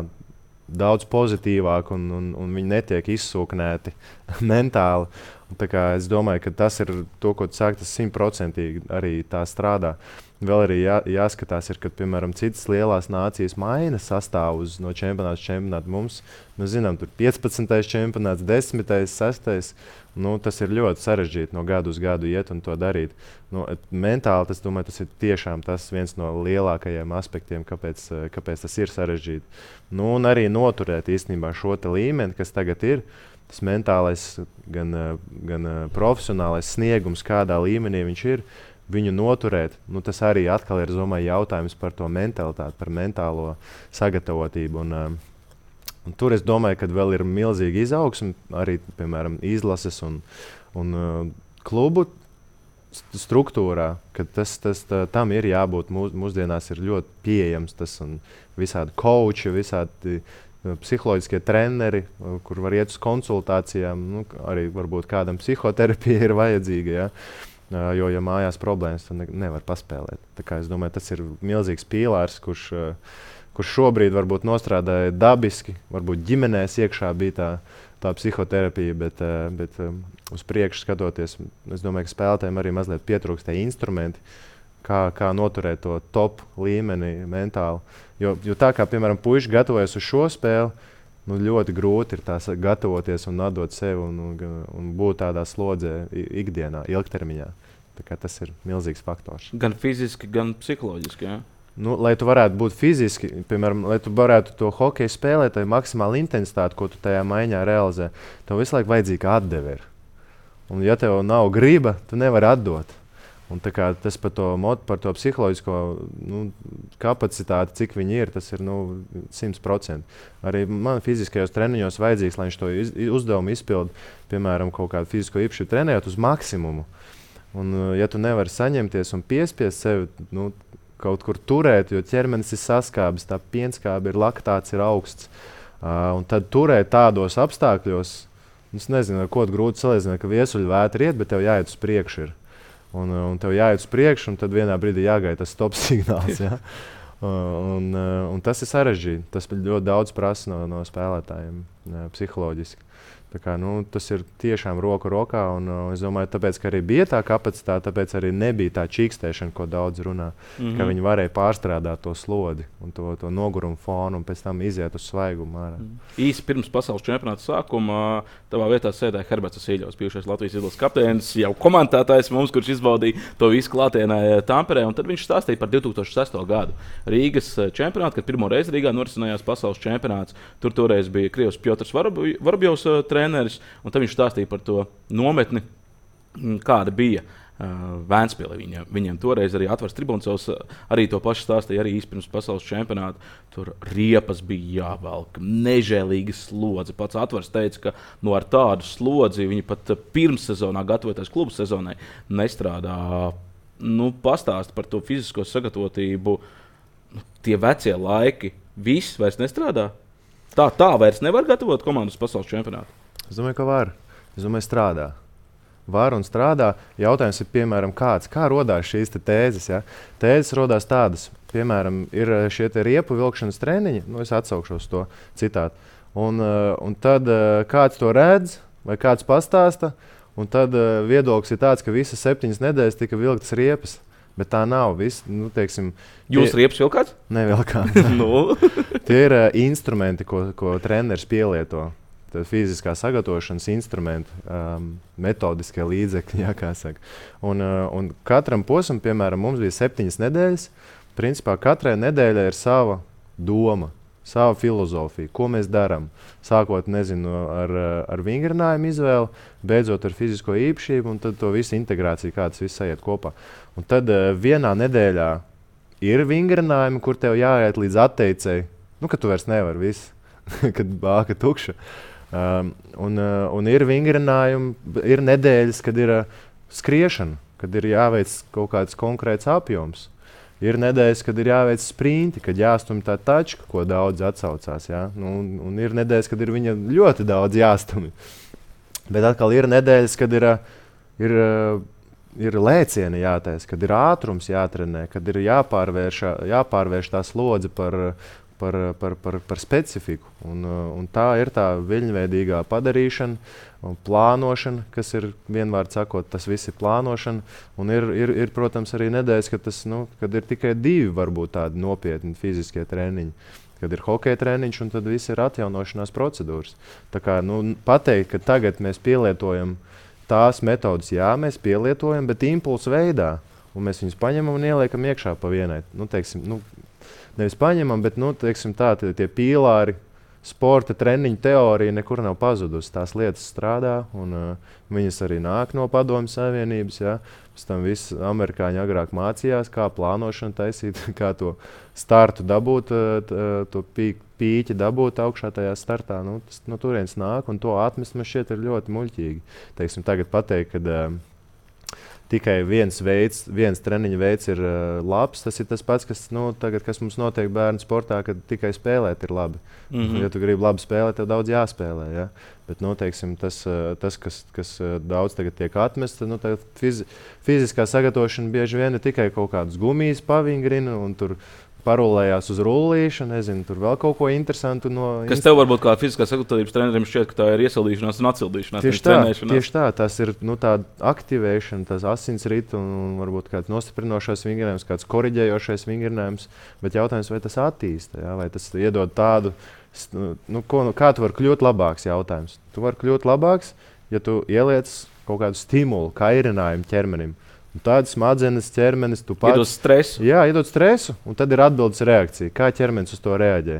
[SPEAKER 2] daudz pozitīvāk un, un, un viņi netiek izsūknēti mentāli. Un, tā kā, es domāju, ka tas ir to, ko tu sāki, tas simtprocentīgi arī tā strādā. Vēl arī jā, jāskatās, ir, kad piemēram citas lielās nācijas maina sastāvus no čempionāta uz čempionātu. Mums, mēs zinām, tur piecpadsmitais čempionāts, desmitais, sestais. Nu, tas ir ļoti sarežģīti no gadu uz gadu iet un to darīt. Nu, mentāli tas, domāju, tas ir tiešām tas viens no lielākajiem aspektiem, kāpēc, kāpēc tas ir sarežģīti. Nu, un arī noturēt īstenībā šo līmeni, kas tagad ir. Tas mentālais, gan, gan profesionālais sniegums, kādā līmenī viņš ir. Viņu noturēt, nu, tas arī atkal ir domāju, jautājums par to mentalitāti, par mentālo sagatavotību. Un, um, un tur es domāju, ka vēl ir milzīga izaugsme arī, piemēram, izlases un, un uh, klubu struktūrā, ka tas, tas tā, tam ir jābūt. Mūs, mūsdienās ir ļoti pieejams tas un visādi coachi, visādi psiholoģiskie treneri, kur var iet uz konsultācijām. Nu, arī varbūt kādam psihoterapija ir vajadzīga, ja? Jo, ja mājās problēmas, tad ne, nevar paspēlēt. Tā kā es domāju, tas ir milzīgs pīlārs, kurš, kurš šobrīd varbūt nostrādāja dabiski, varbūt ģimenēs iekšā bija tā, tā psihoterapija, bet, bet uz priekšu skatoties, es domāju, ka spēlētājiem arī mazliet pietrūkst tie instrumenti, kā, kā noturēt to top līmeni mentāli. Jo, jo tā kā, piemēram, puiši gatavojas uz šo spēli, nu, ļoti grūti ir tās gatavoties un atdot sevi un, un, un būt tādā slodzē ikdienā, ilgtermiņā. Tā kā tas ir milzīgs faktors.
[SPEAKER 1] Gan fiziski, gan psiholoģiski, jā?
[SPEAKER 2] Nu, lai tu varētu būt fiziski, piemēram, lai tu varētu to hokeju spēlēt, tai maksimāli intensitāti, ko tu tajā maiņā realizē, tev visu laiku vajadzīga atdeve ir. Un ja tev nav griba, tu nevari atdot. Un tā kā tas par to, par to psiholoģisko nu, kapacitāti, cik viņi ir, tas ir nu, simt procenti. Arī man fiziskajos treniņos vajadzīgs, lai viņš to iz, uzdevumu izpildu, piemēram, kaut kādu fizisko īpašību trenējot uz maksimumu. Un ja tu nevari saņemties un piespiest sevi, nu, kaut kur turēt, jo ķermenis ir saskābis, tā pienskābe ir, laktāts ir augsts. Uh, un tad turēt tādos apstākļos, es nezinu, ar ko grūti salīdzināt, ka viesuļvētra iet, bet tev jāiet uz priekšu ir. Un, un tev jāiet uz priekšu, un tad vienā brīdī jāgaida tas stop signāls. Ja? uh, un, uh, un tas ir sarežģīti. Tas ļoti daudz prasa no, no spēlētājiem uh, psiholoģiski. Tā kā, nu, tas ir tiešām roku rokā, un uh, es domāju, tāpēc, ka arī bija tā kapacitāte, tāpēc arī nebija tā čīkstēšana, ko daudz runā, mm-hmm. ka viņi varēja pārstrādāt to slodi un to, to nogurumu fonu un pēc tam iziet uz svaigumu ārā.
[SPEAKER 1] Mm. Īsi pirms pasaules čempionāta sākuma tavā vietā sēdēja Herberts Vasīļovs, bijušais Latvijas izlases kapteinis, jau komentētājs mums, kurš izbaudīja to visu klātienē Tamperē, un tad viņš stāstīja par divi tūkstoši sesto gadu Rīgas čempionātu, kad pirmo reizi Rīgā norisinājās pasaules čempionāts. Tur toreiz bija Krievs Pjotrs Vorobjovs treneris, un tad viņš stāstīja par to nometni, kāda bija uh, Vēnspilī. Viņiem, viņiem toreiz arī atvars Tribuncovs arī to pašu stāstīja, arī īsti pirms pasaules čempionāta. Tur riepas bija jāvelk, nežēlīga slodze. Pats atvars teica, ka nu, ar tādu slodzi viņi pat pirmssezonā, gatavoties klubu sezonai, nestrādā. Nu, pastāst par to fizisko sagatavotību. Tie vecie laiki, viss vairs nestrādā? Tā, tā vairs nevar gatavot komandas pasaules čempionātu?
[SPEAKER 2] Es domāju, ka var. Es domāju, strādā. Var un strādā. Jautājums ir, piemēram, kāds. Kā rodās šīs te tēzes? Ja? Tēzes rodās tādas. Piemēram, ir šie te riepu vilkšanas treniņi. Nu, es atsaukšos to citātu. Un, un tad kāds to redz vai kāds pastāsta. Un tad viedoklis ir tāds, ka visas septiņas nedēļas tika vilktas riepas. Bet tā nav. Vis, nu, teiksim,
[SPEAKER 1] Jūs tie... riepas vilkāt?
[SPEAKER 2] Nevilkāt.
[SPEAKER 1] no.
[SPEAKER 2] Tie ir uh, instrumenti, ko, ko treneris pielieto. Tad fiziskā sagatavošanas instrumenti, um, metodiskie līdzekļi, jā, kā saka. Un, uh, un katram posmam, piemēram, mums bija septiņas nedēļas. Principā katrai nedēļai ir sava doma, sava filozofija, ko mēs darām. Sākot, nezinu, ar, ar vingrinājumu izvēli, beidzot ar fizisko īpašību, un tad to visu integrāciju, kā tas viss aiziet kopā. Un tad uh, vienā nedēļā ir vingrinājumi, kur tev jāiet līdz atteicēji, nu, ka tu vairs nevari visu, kad bāka tukša. Um, un, uh, un ir vingrinājumi, ir nedēļas, kad ir uh, skriešana, kad ir jāveic kaut kāds konkrēts apjoms. Ir nedēļas, kad ir jāveic sprinti, kad jāstumj tā tačka, ko daudz atsaucās. Ja? Nu, un, un ir nedēļas, kad ir viņa ļoti daudz jāstumj. Bet atkal ir nedēļas, kad ir, ir, ir lēcieni jātaisa, kad ir ātrums jātrenē, kad ir jāpārvērš, jāpārvērš tā slodze par, par, par, par, par specifiku. Un, un tā ir tā viļņveidīgā padarīšana un plānošana, kas ir vienvārds sakot, tas viss ir plānošana. Un ir, ir, ir protams, arī nedēļas, kad, tas, nu, kad ir tikai divi varbūt tādi nopietni fiziskie treniņi. Kad ir hokeja treniņš, un tad viss ir atjaunošanās procedūras. Tā kā nu, pateikt, ka tagad mēs pielietojam tās metodas, jā, mēs pielietojam, bet impulsu veidā. Un mēs viņus paņemam un ieliekam iekšā pa vienai. Nu, teiksim, nu, nevis paņemam, bet nu, teiksim, tā, tie, tie pīlāri, sporta treniņu teorija nekur nav pazudusi. Tās lietas strādā, un uh, viņas arī nāk no Padomju Savienības. Ja? Pēc tam visi amerikāņi agrāk mācījās, kā plānošanu taisīt, kā to startu dabūt, uh, to pī, pīķi dabūt augšā tajā startā. Nu, tas no turienes nāk, un to atmest man šķiet ir ļoti muļķīgi. Teiksim, tagad pateikt, kad uh, tikai viens veids, viens treniņa veids ir uh, labs. Tas ir tas pats, kas, nu, tagad, kas mums notiek bērnu sportā, kad tikai spēlēt ir labi. Mm-hmm. Ja tu gribi labi spēlēt, tev daudz jāspēlē. Ja? Bet nu, teiksim, tas, uh, tas, kas, kas uh, daudz tagad tiek atmests, nu, fizi fiziskā sagatavošana bieži vien ir tikai kaut kādas gumijas pavingrina un tur parulējās uz rullīšu, nezinu, tur vēl kaut ko interesantu. No
[SPEAKER 1] kas tev varbūt kā fiziskās sagatavotības trenerim šķiet, ka tā ir iesildīšanās un atsildīšanās?
[SPEAKER 2] Tieši tā, tieši tā, tas ir nu, tāda aktivēšana, tas asinsrita un, un varbūt kāds nostiprinošais vingrinājums, kāds koriģējošais vingrinājums, bet jautājums, vai tas attīsta, ja? Vai tas iedod tādu, nu, ko, nu, kā tu vari kļūt labāks jautājums. Tu vari kļūt labāks, ja tu ieliec kaut kādu stimulu, kairinājumu ķermenim. Tādas smadzenes, ķermenis, tu pats.
[SPEAKER 1] Iedod stresu.
[SPEAKER 2] Jā, iedod stresu, un tad ir atbildes reakcija. Kā ķermenis uz to reaģē?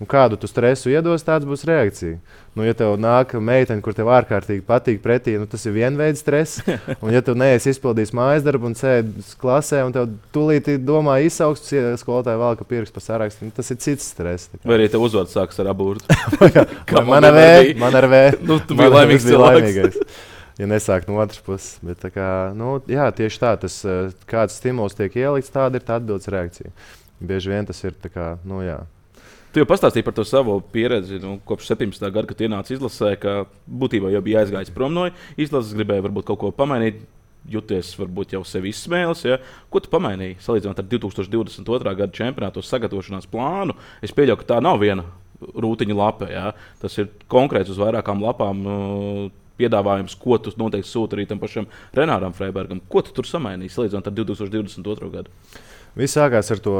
[SPEAKER 2] Un kādu tu stresu iedos, tāds būs reakcija. Nu, ja tev nāk meitene, kur tev ārkārtīgi patīk pretī, nu, tas ir vienveids stress. Un ja tu neesi izpildījis mājas darbu un sēdi klasē, un tev tūlīt domā izsauks, skolotāja valka pirksts pa sarakstu, nu, tas ir cits stress.
[SPEAKER 1] Vai arī tev uzvārds sākas ar aburtu?
[SPEAKER 2] man ar V, man ar V.
[SPEAKER 1] Nu, tu biji laimīgs cilvēks.
[SPEAKER 2] Ja nesāk no otras puses. Bet, tā kā, nu, jā, tieši tā, tas, kāds stimuls tiek ielikts, tāda ir tā atbildes reakcija. Bieži vien tas ir tā kā, nu jā.
[SPEAKER 1] Tu jau pastāstīji par to savu pieredzi, nu, kopš septiņpadsmitā gada, kad ienāci izlasē, ka būtībā jau bija aizgājis prom no izlases, gribēja varbūt kaut ko pamainīt, jūties varbūt jau sevi izsmēlis. Ja? Ko tu pamainīji, salīdzinot ar divtūkstoš divdesmit otrā gada čempionātu sagatavošanās plānu? Es pieļauju, ka tā nav viena rūtiņa lapa, ja? Tas ir konkrēts uz vairākām lapām uh, piedāvājums, ko tu noteikti sūti arī tam pašam Renāram Freibergam. Ko tu tur samainīji, salīdzinot ar divtūkstoš divdesmit otro gadu?
[SPEAKER 2] Viss sākās ar to,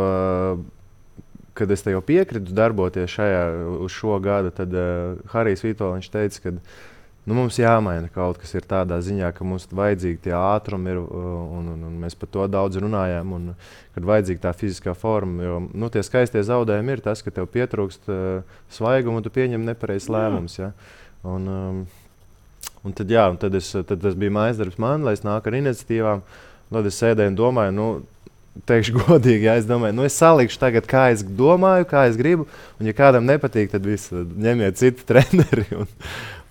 [SPEAKER 2] kad es te jau piekritu darboties šajā, uz šo gadu, tad uh, Harijs Vitoļņš teica, ka nu, mums jāmaina kaut kas ir tādā ziņā, ka mums vajadzīgi tie ātrumi ir, un, un, un mēs par to daudz runājām, un kad vajadzīga tā fiziskā forma, jo nu, tie skaistie zaudējumi ir tas, ka tev pietrūkst uh, svaigumu un tu pieņem nepareizs lēmums. Ja? Un, um, Un tad, jā, un tad, es, tad tas bija mājas darbs man, lai es nāku ar iniciatīvām. Tad es sēdēju un domāju, nu, teikšu godīgi, ja es domāju, nu, es salikšu tagad, kā es domāju, kā es gribu. Un, ja kādam nepatīk, tad viss ņemiet citu treneri un,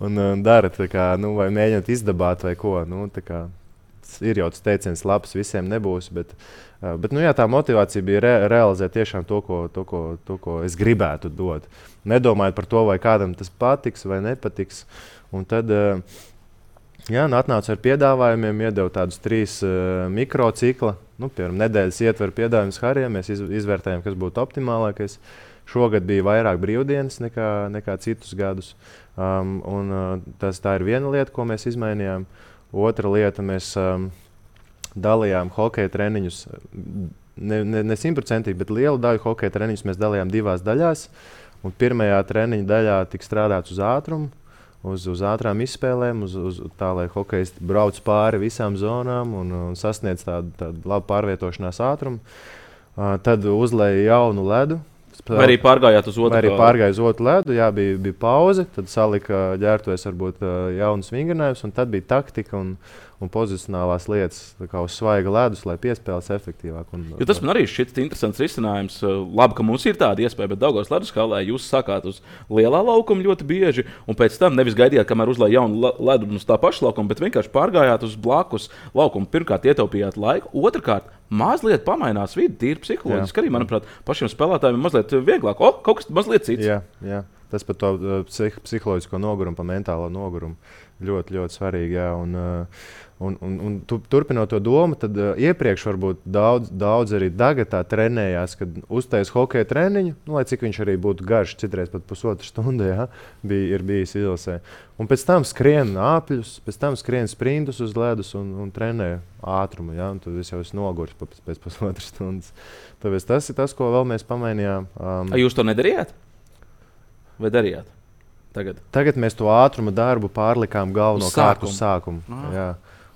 [SPEAKER 2] un, un dara, kā, nu, vai mēģināt izdabāt vai ko. Nu, kā, ir jau tas teiciens labs, visiem nebūs, bet, bet nu, jā, tā motivācija bija re, realizēt tiešām to ko, to, ko, to, ko es gribētu dot. Nedomājot par to, vai kādam tas patiks vai nepatiks. Un tad jā, atnācu ar piedāvājumiem, iedevu tādus trīs uh, mikrocikla. Nu, piemēram, nedēļas ietver piedāvājumus Harijam, mēs iz, izvērtējām, kas būtu optimālākais. Šogad bija vairāk brīvdienas nekā, nekā citus gadus. Um, un, uh, tas, tā ir viena lieta, ko mēs izmainījām. Otra lieta, mēs um, dalījām hokeja treniņus, ne simtprocentīgi, bet lielu daļu hokeja treniņus mēs dalījām divās daļās. Un pirmajā treniņa daļā tika strādāts uz ātrumu. Uz, uz ātrām izspēlēm, uz, uz tā, lai hokejisti brauc pāri visām zonām un, un sasniedz tādu, tādu labu pārvietošanās ātrumu. Uh, tad uzlēja jaunu ledu.
[SPEAKER 1] Vai arī pārgājāt uz otru?
[SPEAKER 2] Vai arī pārgāja uz otru ledu, jā, bija, bija pauze, tad salika ģērbtuves varbūt uh, jaunas vingrinājumus, un tad bija taktika un, un pozicionālās lietas kā uz svaiga ledus, lai piespēles efektīvāk. Un,
[SPEAKER 1] jo tas man arī šķiet interesants risinājums. Labi, ka mums ir tāda iespēja, bet Daugavas ledus halē jūs sākāt uz lielā laukuma ļoti bieži, un pēc tam nevis gaidījāt, kamēr uzlēja jaunu ledu uz tā paša laukuma, bet vienkārši pārgājāt uz blakus laukumu. Pirmkārt, ietaupījāt laiku, otrkārt, mazliet pamainās vidi, tīri psiholoģiski. Arī, manuprāt, pašiem spēlētājiem ir mazliet vieglāk. O, kaut kas mazliet cits.
[SPEAKER 2] Jā, jā. Tas par to uh, psih psiholoģisko nogurumu, par mentālo nogurumu ļoti, ļoti svarīgi. Jā. Un, uh, un, un, un tu, turpinot to domu, tad uh, iepriekš varbūt daudz, daudz arī tagad tā trenējās, kad uztais hokeja treniņu, nu, lai cik viņš arī būtu garš, citreiz pat pusotru stundu, jā, bija, ir bijis izlasē. Un pēc tam skrien āpļus, pēc tam skrien sprintus uz ledus un, un trenē ātrumu, jā, un tad es jau esmu noguris pēc, pēc pusotras stundas. Tāpēc tas ir tas, ko vēl mēs pamainījām. Um,
[SPEAKER 1] A jūs to nedarījāt? Vai darījāt? Tagad,
[SPEAKER 2] Tagad mēs to ātruma darbu pārlikām galvenokārt uz sākumu. Jā.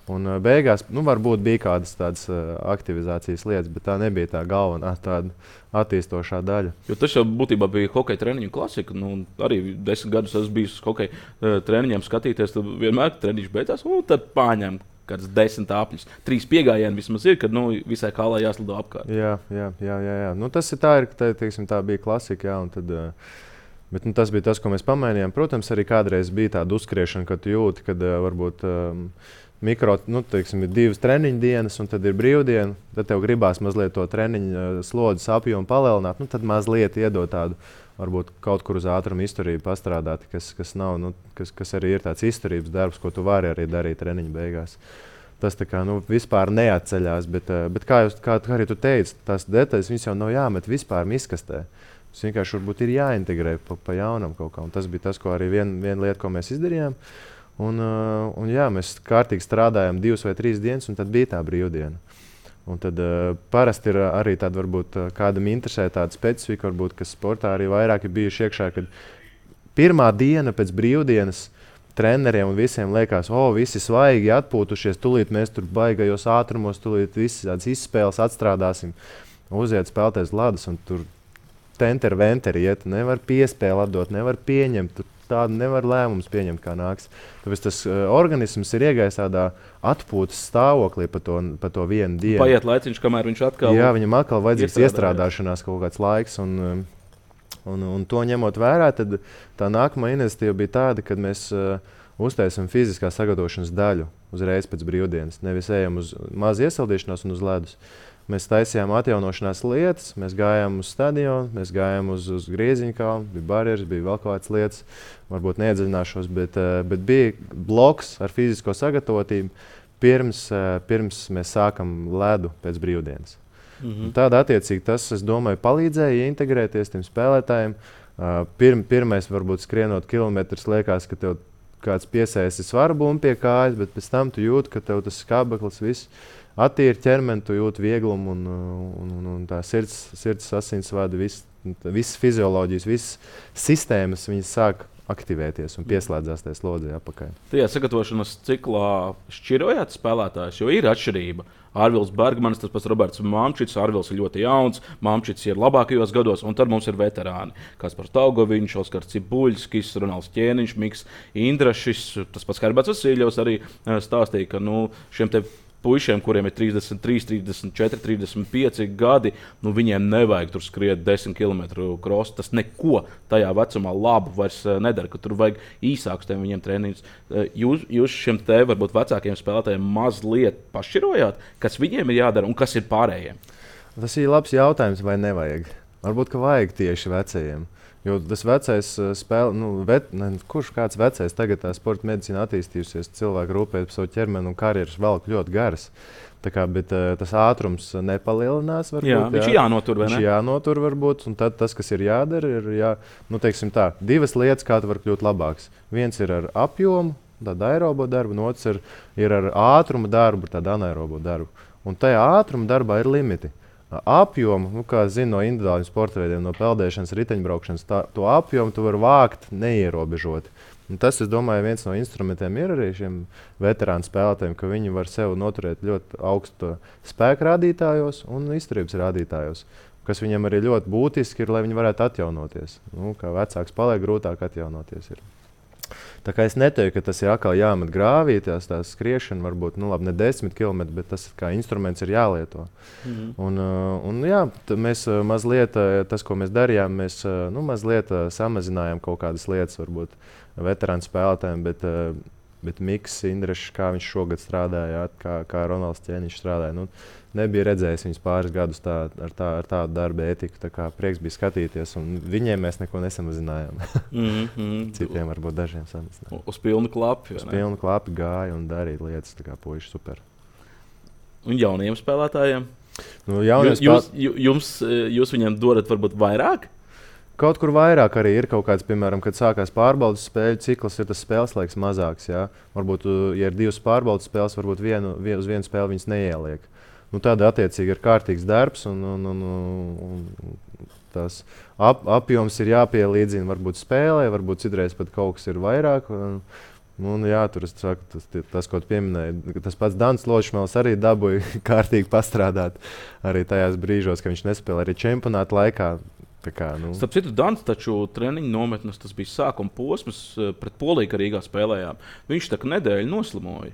[SPEAKER 2] Un uh, beigās, nu, varbūt bija kādas tādas uh, aktivizācijas lietas, bet tā nebija tā galvenā tāda attīstošā daļa.
[SPEAKER 1] Jo tas jau būtībā bija hokeja treniņu klasika. Nu, arī desmit gadus esmu bijis uz hokeja uh, treniņiem skatīties, tad vienmēr treniņš beidzās, un tad pārņem kāds desmit āpļus. Trīs piegājieni vismaz ir, kad nu, visai kālā jāslido apkārt.
[SPEAKER 2] Jā, jā, jā. jā, jā. Nu, tas ir tā, ir, tā, teiksim, tā bija klasika, jā, un tad... Uh, Bet, nu, tas bija tas, ko mēs pamainījām. Protams, arī kādreiz bija tāda uzskriešana, kad jūti, ka uh, varbūt um, mikro, nu, teiksim, ir divas treniņu dienas, un tad ir brīvdiena. Tad tev gribās mazliet to treniņu slodzes apjomu palielināt. Nu, tad mazliet iedot tādu, varbūt kaut kur uz ātrumu izturību pastrādāt, kas, kas, nav, nu, kas, kas arī ir tāds izturības darbs, ko tu vari arī darīt treniņu beigās. Tas tā kā nu, vispār neatceļās, bet, bet kā, jūs, kā, kā arī tu teici, tās detaļas viņas jau nav jāmet vispār miskastē. Tas vienkārši varbūt ir jāintegrē pa, pa jaunam kaut kā. Un tas bija tas, ko arī viena vien lieta, ko mēs izdarījām. Un, un jā, mēs kārtīgi strādājām divas vai trīs dienas, un tad bija tā brīvdiena. Un tad uh, parasti ir arī tāda, varbūt kādam interesē tāda specifika, varbūt, kas sportā arī vairāk ir bijuši iekšā, kad pirmā diena pēc brīvdienas treneriem un visiem liekas, o, visi svaigi atpūtušies, tūlīt mēs tur baigajos ātrumos, tūlīt visi tādas izspēles atstrādāsim, uziet spēlēties ledus, un tur tenter venteri iet, nevar piespēli atdot, nevar pieņemt, tur tādu nevar lēmumus pieņemt, kā nāks. Tāpēc tas uh, organisms ir iegājis tādā atpūtas stāvoklī pa to, pa to vienu dienu.
[SPEAKER 1] Paiet laiciņš, kamēr viņš atkal...
[SPEAKER 2] Jā, viņam atkal vajadzīgs iestrādāšanās kaut kāds laiks, un, un, un to ņemot vērā, tad tā nākamā iniciatīva bija tāda, kad mēs uh, uztaisam fiziskā sagatavošanas daļu uzreiz pēc brīvdienas. Nevis ejam uz mazu iesaldīšanos un uz ledus. Mēs taisījām atjaunošanās lietas, mēs gājām uz stadionu, mēs gājām uz, uz grieziņu kalnu, bija barjeras, bija vēl kaut kādas lietas, varbūt neiedziļināšos, bet, bet bija bloks ar fizisko sagatavotību, pirms, pirms mēs sākam ledu pēc brīvdienas. Mm-hmm. Tāda attiecīgi tas, es domāju, palīdzēja integrēties tiem spēlētājiem. Pirm, pirmais, varbūt skrienot kilometrus, liekas, ka tev kāds piesēsis svarbumi pie kājas, bet pēc tam tu jūti, ka tev tas skābeklis viss attīri ķermeni, tu jūti vieglumu un, un, un, un tā sirds, sirds asinsvadi, viss, visas fizioloģijas, visas sistēmas, viņas sāk aktivēties un pieslēdzās tajā slodzē apakaļ.
[SPEAKER 1] Tajā sagatavošanas ciklā šķirojāt spēlētājus, jo ir atšķirība. Ārvils Bergmanis, tas pats Roberts Mamčits, Ārvils ir ļoti jauns, Mamčits ir labākajos gados, un tad mums ir veterāni. Kaspars Taugoviņš, Oskars Cibuļskis, Ronalds Ķēniņš, Miks Indrašis, tas pats Herberts Vasiļovs arī stāstīja, ka nu, šiem te puišiem, kuriem ir trīsdesmit trīs, trīsdesmit četri, trīsdesmit pieci gadi, nu viņiem nevajag tur skriet desmit kilometru krosu. Tas neko tajā vecumā labu vairs nedara, ka tur vajag īsākus tiem viņiem treniņus. Jūs, jūs šiem te varbūt vecākiem spēlētājiem mazliet pašķirojāt, kas viņiem ir jādara un kas ir pārējiem?
[SPEAKER 2] Tas ir labs jautājums, vai nevajag. Varbūt, ka vajag tieši vecajiem. Jo tas vecais spēle, nu, vet, ne, kurš kāds vecais tagad tā sporta medicīna attīstījusies, cilvēki rūpējas par savu ķermeni un karjeras velk ļoti garas. Tā kā, bet uh, tas ātrums nepalielinās. Varbūt,
[SPEAKER 1] jā, viņš ir jānotur, vai ne?
[SPEAKER 2] Viņš jānotur varbūt, un tad tas, kas ir jādara, ir jā, nu, teiksim tā, divas lietas, kā tu var kļūt labāks. Viens ir ar apjomu, tādu aerobo darbu, un otrs ir, ir ar ātrumu darbu, tādu anaerobo darbu. Un tajā ātruma darbā ir limiti. Apjomu, nu, kā zinu no individuāliem sporta veidiem, no peldēšanas, riteņbraukšanas, tā, to apjomu tu vari vākt neierobežoti. Un tas, es domāju, viens no instrumentiem ir arī šiem veterānu spēlētājiem, ka viņi var sev noturēt ļoti augstu spēku rādītājos un izturības rādītājos, kas viņam arī ļoti būtiski ir, lai viņi varētu atjaunoties. Nu, kā vecāks paliek, grūtāk atjaunoties ir. Tā kā es neteiktu, ka tas ir atkal jāmet grāvī, tās, tās skriešana varbūt nu, labi, ne desmit kilometri, bet tas kā instruments ir jālieto. Mm-hmm. Un, un, jā, mēs mazliet, tas, ko mēs darījām, mēs nu, mazliet samazinājām kaut kādas lietas, varbūt veterānu spēlētājiem, bet, bet Miks Indrašs, kā viņš šogad strādāja, kā, kā Ronalds Ķēniņš strādāja. Nu, nebija redzējis viņus pāris gadus tā, ar, tā, ar tādu darba ētiku. Tā kā prieks bija skatīties, un viņiem mēs neko nesamazinājām. Mm-hmm. Citiem varbūt dažiem samazinājām.
[SPEAKER 1] Uz pilnu klapi.
[SPEAKER 2] Uz pilnu klapi gāja un darīja lietas, tā kā puiši super.
[SPEAKER 1] Un jauniem spēlētājiem?
[SPEAKER 2] Nu, jauniem
[SPEAKER 1] jūs, spēl... jums, jūs viņiem dodat varbūt vairāk?
[SPEAKER 2] Kaut kur vairāk arī ir kaut kāds, piemēram, kad sākās pārbaudas spēļu cikls, ir tas spēles laiks mazāks. Jā? Varbūt, ja ir divas pārbaudas spēles, varbūt vienu, vien, uz vienu spēli viņas neieliek. Nu, tāda attiecīgi ir kārtīgs darbs, un, un, un, un tās ap, apjoms ir jāpielīdzina varbūt spēlē, varbūt citreiz pat kaut kas ir vairāk. Un, un, jā, tur es saku, tas, tas, ko tu pieminēji, tas pats Dans Lošmēls arī dabūja kārtīgi pastrādāt arī tajās brīžos, ka viņš nespēlē arī čempionāta laikā. Kā, nu.
[SPEAKER 1] Starp citu, Dans taču treniņu nometnes, tas bija sākuma posms pret Poliju, ka Rīgā spēlējām. Viņš tā kā nedēļu noslimoja.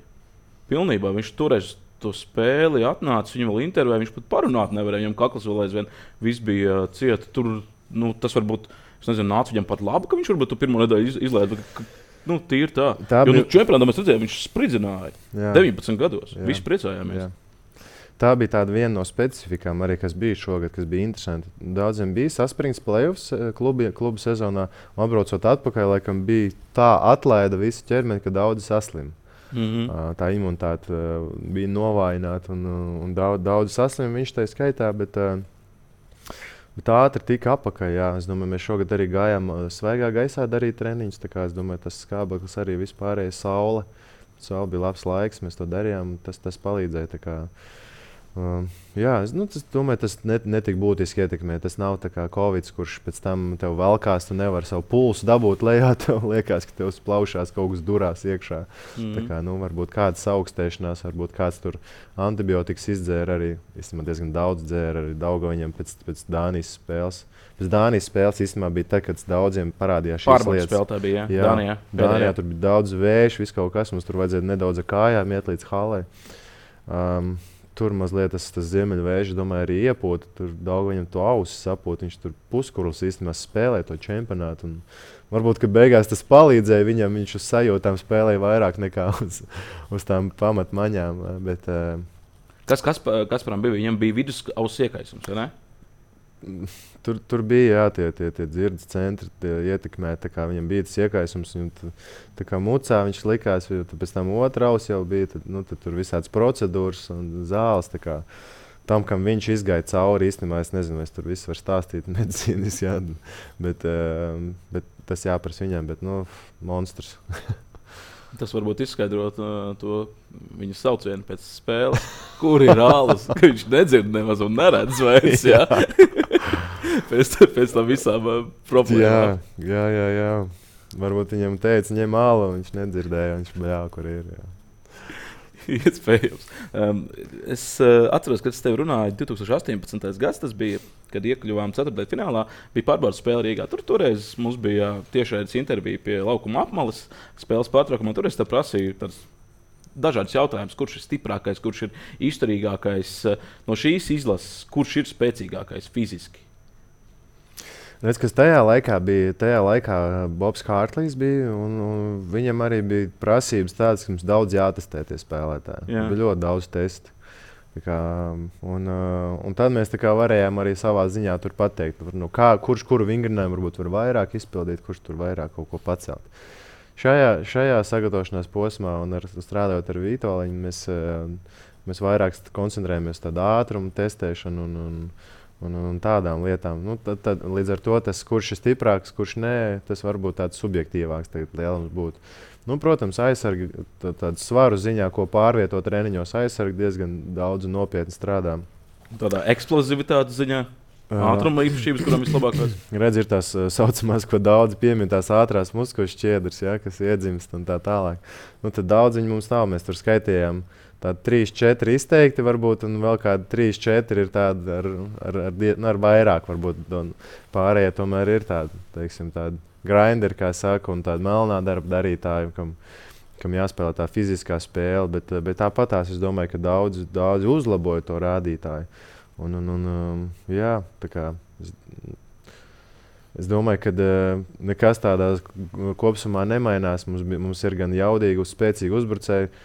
[SPEAKER 1] Pilnībā viņš toreiz to spēli atnāca, viņam vēl intervēja, viņš pat parunāt nevarēja, viņam kakls vēl aizvien viss bija cieta. Tur, nu, tas varbūt, es nezinu, nāca viņam pat labi, ka viņš varbūt tu pirmo nedēļu iz, izlaida. Nu, tīri tā.
[SPEAKER 2] Tā
[SPEAKER 1] jo
[SPEAKER 2] bija...
[SPEAKER 1] nu, čempionātā mēs redzējām, viņš spridzināja
[SPEAKER 2] Jā.
[SPEAKER 1] deviņpadsmit gados. Jā. Visi priecājāmies. Jā.
[SPEAKER 2] Tā bija tāda viena no specifikām, arī, kas bija šogad, kas bija interesanti. Daudziem bija saspringts playoffs klubi, klubu sezonā, un atbraucot atpakaļ, laikam bija tā atlaida visu ķermeni, ka daudzi saslim.
[SPEAKER 1] Mm-hmm.
[SPEAKER 2] Tā imunitāte bija novājināta un, un daudz, daudz saslim viņš tā skaitā, bet, bet ātri tika apakaļ. Jā. Es domāju, mēs šogad arī gājām svaigā gaisā darīt treniņus, tā kā es domāju, tas skābeklis arī vispārējais saule. Saule bija labs laiks, mēs to darījām, tas, tas palīdzēja. Tā kā, Uh, jā, es nu, tas, domāju, tas net, netik būtiski ietekmē. Tas nav tā kā Covid, kurš pēc tam tev velkās, tu nevari savu pulsu dabūt lejā. Tev liekas, ka tev plaušās kaut kas durās iekšā. Mm-hmm. Tā kā, nu, varbūt kāds augstēšanās, varbūt kāds tur antibiotikas izdzēra arī. Īstenībā diezgan daudz dzēra arī Daugaviņam pēc, pēc Dānijas spēles. Pēc Dānijas spēles īstenībā bija tad, kad daudziem parādījās šīs
[SPEAKER 1] Pārbaudas
[SPEAKER 2] lietas.
[SPEAKER 1] Pārbaudas spēlē bija, jā.
[SPEAKER 2] Jā,
[SPEAKER 1] Dānijā.
[SPEAKER 2] Dānijā tur bija daudz vēju, viss kaut kas. Mums tur vajadzēja nedaudz ar kājām iet līdz halai. Um, Tur mazliet tas, tas ziemeļvējš, domāju, arī iepūta. Tur daudz viņam to ausis sapūta. Viņš tur puskurls īstenībā spēlēja to čempionātu. Un varbūt, ka beigās tas palīdzēja viņam. Viņš uz sajūtām spēlēja vairāk nekā uz, uz tām pamatmaņām. Bet,
[SPEAKER 1] kas Kasparam bija? Viņam bija vidus auss iekaisums, vai ne?
[SPEAKER 2] Tur, tur bija jā, tie, tie, tie dzirdes centri, tie ietekmēja. Viņam bija tas iekaisums. Un, tā kā mucā viņš likās, jo pēc tam otrā auss jau bija. Tad, nu, tad tur visādas procedūras un zāles. Kā, tam, kam viņš izgāja cauri, īstenībā es nezinu, vai es tur visu varu stāstīt medicīnas. Jā, bet, bet tas jāprasa viņam. Bet, nu, monstrs.
[SPEAKER 1] Tas varbūt izskaidrot uh, to viņa saucienu pēc spēles, kur ir ālus, ka viņš nedzird nemaz un neredz vairs. Jā. pēc, pēc tam visām uh, problēmām.
[SPEAKER 2] Jā, jā, jā, jā. Varbūt viņam teica, ņem ālu, viņš nedzirdēja, viņš bļā, kur ir. Jā.
[SPEAKER 1] Iespējams. Um, es uh, atceros, kad es tev runāju, divtūkstoš astoņpadsmitais gads, tas bija, kad iekļuvām ceturtajā finālā, bija pārbaudas spēle Rīgā. Tur toreiz mums bija tiešraides intervija pie laukuma apmales spēles pārtraukumā. Tur es te prasīju tāds dažādas jautājumus, kurš ir stiprākais, kurš ir izturīgākais no šīs izlases, kurš ir spēcīgākais fiziski.
[SPEAKER 2] Redz, kas tajā laikā bija, tajā laikā Bobs Hārtlīs bija, un, un viņam arī bija prasības tādas, ka mums daudz jātestē tie spēlētāji. Jā. Bija ļoti daudz testu. Kā, un, un tad mēs kā varējām arī savā ziņā tur pateikt, nu, kā, kurš kuru vingrinājumu varbūt var vairāk izpildīt, kurš tur vairāk kaut ko pacelt. Šajā, šajā sagatavošanās posmā un ar, strādājot ar Vitoļiņu, mēs, mēs vairāk koncentrējamies uz tādu ātrumu testēšanu un, un Un, un tādām lietām. Nu, tad, tad, līdz ar to tas, kurš ir stiprāks, kurš nē, tas varbūt tāds subjektīvāks lielums būtu. Nu, protams, aizsargi tādu svaru ziņā, ko pārvietot treniņos, aizsargi diezgan daudz un nopietni strādā.
[SPEAKER 1] Tādā eksplozivitātes ziņā, ātruma īpašības, kurām vislabākās.
[SPEAKER 2] Redz, ir tās saucamās, ko daudz piemin, tās ātrās muskuļu šķiedras, ja, kas iedzimst un tā tālāk. Nu, tad daudz viņi mums nav, mēs tur skaitījām. Tādi trīs, četri izteikti, varbūt, un vēl kādi trīs, četri ir tādi ar, ar, ar, ar vairāk. Varbūt, pārējie tomēr ir tādi, teiksim, tādi grinderi, kā saka, un tādi melnā darba darītāji, kam, kam jāspēlē tā fiziskā spēle. Bet, bet tāpatās es domāju, ka daudzi, daudzi uzlaboja to rādītāju. Un, un, un, jā, tā kā, es, es domāju, ka nekas tādā kopsumā nemainās. Mums, mums ir gan jaudīgi, spēcīgi uzbrucēji.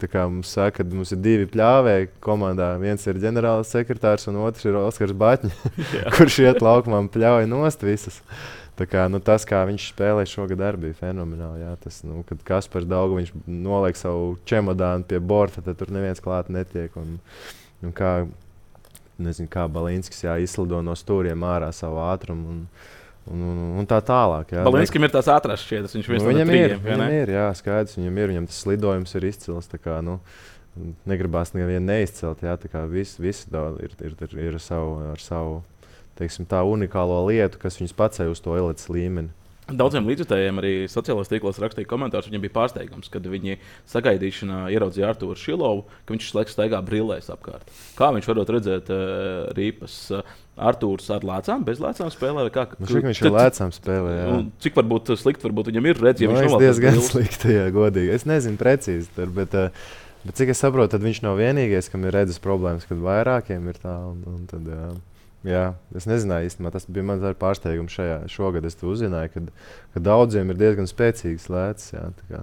[SPEAKER 2] Tā kā mums saka, ka mums ir divi pļāvēji komandā. Viens ir ģenerālis sekretārs un otrs ir Oskars Baķņa, kurš iet laukumā un pļauj nost visas. Tā kā, nu, tas, kā viņš spēlēja šogad, arī bija fenomenāli. Jā. Tas, nu, kad Kaspars Daugaviņš noliek savu čemodānu pie borta, tad tur neviens klāt netiek. Un, un kā, nezinu, kā Balinskis jā, izslido no stūriem ārā savu ātrumu. Un, Un, un, un tā tālāk.
[SPEAKER 1] Balinskam ir tās ātrās šķiedras. Viņš
[SPEAKER 2] nu, viņam trījiem, ir, viņam ir, jā, skaidrs. Viņam ir, viņam tas lidojums ir izcils. Tā kā, nu, negribās nevienu neizcelt. Jā, tā kā visi, visi ir, ir, ir, ir savu, ar savu, teiksim, tā unikālo lietu, kas viņus pacēla uz to elites līmeni.
[SPEAKER 1] Daudziem līdzjutējiem arī sociālajos tīklos rakstīja komentārus. Viņiem bija pārsteigums, kad viņi sagaidīšanā ieraudzīja Artūru Šilovu, ka viņš laiks staigā brillēs apkārt. Kā viņš varot redzēt uh, rīpas? Uh, Artūrs ar lēcām, bez lēcām spēlē? Kā,
[SPEAKER 2] nu, šik viņš ar lēcām spēlē, jā.
[SPEAKER 1] Cik varbūt slikti varbūt viņam ir redz, ja
[SPEAKER 2] nu,
[SPEAKER 1] viņš
[SPEAKER 2] novalk diezgan slikti, jā, godīgi. Es nezinu precīzi, tur, bet, bet cik es saprotu, tad viņš nav vienīgais, kam ir redzes problēmas, kad vairākiem ir tā. Un, un tad, jā. Jā, es nezināju īstenībā, tas bija mans pārsteigums šajā šogad. Es to uzzināju, ka, ka daudziem ir diezgan spēcīgs lēcas. Jā, tā kā.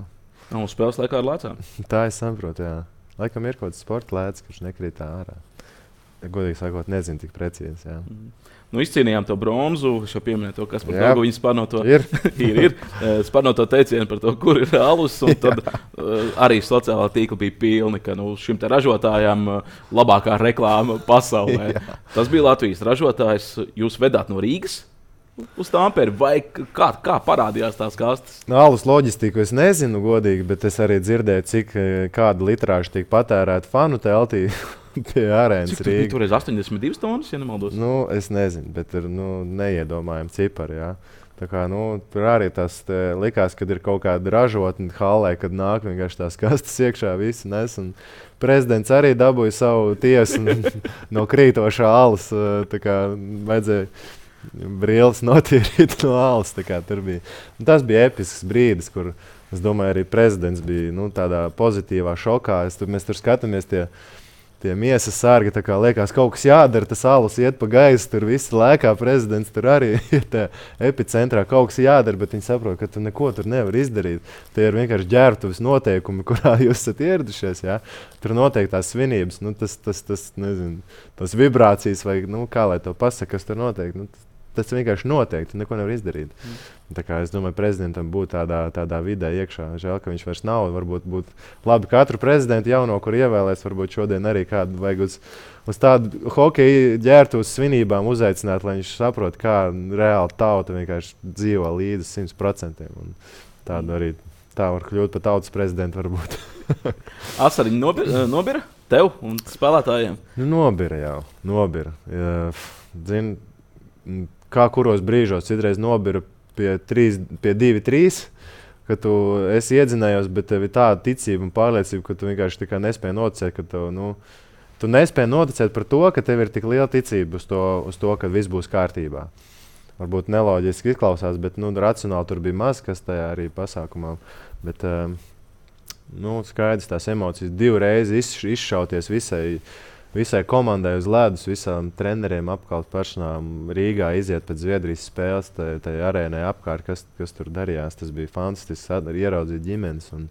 [SPEAKER 1] Un uz spēles laikā ar lēcām?
[SPEAKER 2] Tā es saprotu, jā. Laikam ir kaut kāds sporta lēcas, kurš nekrīt ārā. Godīgi sakot, nezinu tik precīzi. Jā.
[SPEAKER 1] Mm. Nu, izcīnījām to bronzu. Es jau pieminēju to, kas par to viņa spārno to,
[SPEAKER 2] ir.
[SPEAKER 1] ir, ir. Spārno to teicienu par to, kur ir alus. Un tad uh, arī sociālā tīkla bija pilni, ka nu, šim te ražotājam uh, labākā reklāma pasaulē. Jā. Tas bija Latvijas ražotājs. Jūs vedāt no Rīgas uz Tamperi, vai kā, kā parādījās tās kastes?
[SPEAKER 2] No alus loģistiku es nezinu godīgi, bet es arī dzirdēju, cik kāda litrāža tiek patērēta fanu teltī. Pie arēnas Rīgas.
[SPEAKER 1] Cik tur bija astoņdesmit divas tonnas, ja nemaldos?
[SPEAKER 2] Nu, es nezinu, bet ir nu, neiedomājami cipari. Jā. Tā kā, nu, tur arī tas likās, kad ir kaut kāda ražotne halē, kad nāk vienkārši tās kastes iekšā visi nes. Prezidents arī dabūja savu tiesu no krītošā alus. Tā kā vajadzēja brīlis notīrīt no alus. Tā kā tur bija. Un tas bija episks brīdis, kur, es domāju, arī prezidents bija nu, tādā pozitīvā šokā. Es, tur, mēs tur skatāmies tie Tie miesas sārgi, tā kā liekas, kaut kas jādara, tas alus iet pa gaisu, tur visi lēkā, prezidents tur arī ir tā epicentrā, kaut kas jādara, bet viņi saprot, ka tu neko tur nevar izdarīt. Tie ir vienkārši ģērbtuves noteikumi, kurā jūs esat ieradušies, jā. Tur noteikti tās svinības, nu tas, tas, tas, nezinu, tās vibrācijas vai, nu, kā lai to pasaka, kas tur noteikti, nu, tas, tas vienkārši noteikti, neko nevar izdarīt. Mm. Tā kā es domāju, prezidentam būtu tādā, tādā vidē iekšā. Žēl, ka viņš vairs nav. Varbūt būtu labi katru prezidentu jauno, kur ievēlēs, varbūt šodien arī kādu vajag uz, uz tādu hokeju ģērtu uz svinībām uzaicināt, lai viņš saprot, kā reāli tauta vienkārši dzīvo līdz simt procentiem. Tādu arī tā var kļūt par tautas prezidentu varbūt.
[SPEAKER 1] Asariņi nobira, nobira tev un spēlētājiem?
[SPEAKER 2] Nu, nobira jau, nobira. Ja, zin, kā kuros brīžos citreiz nobira pie, trīs, pie divi trīs, ka tu esi iedzinējos, bet tev ir tāda ticība un pārliecība, ka tu vienkārši nespēji noticēt, ka tev, nu, tu nespēji noticēt par to, ka tev ir tik liela ticība uz to, uz to ka viss būs kārtībā. Varbūt neloģiski izklausās, bet nu, racionāli tur bija maz, kas tajā arī pasākumā. Bet um, nu, skaidrs tās emocijas divreiz izšauties visai, visai komandai uz ledus, visām treneriem apkalp personām Rīgā iziet pēc Zviedrijas spēles, tajā arēnai apkārt, kas, kas tur darījās. Tas bija fantastiski, arī ieraudzīt ģimenes. Un,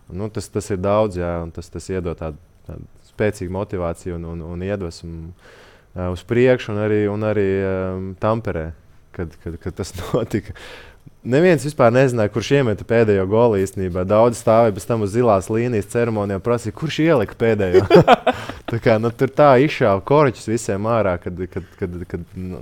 [SPEAKER 2] un, nu, tas, tas ir daudz, jā, un tas, tas iedod tādu, tādu spēcīgu motivāciju un, un, un iedvesmu uh, uz priekšu, un arī, un arī um, Tamperē, kad, kad, kad tas notika. Neviens vispār nezināja, kurš iemeta pēdējo golu īstenībā. Daudz stāvēja pēc tam uz zilās līnijas ceremonijā, prasīja, kurš ielika pēdējo. tā kā, nu, tur tā izšāva koriķus visiem ārā, kad, kad, kad, kad nu,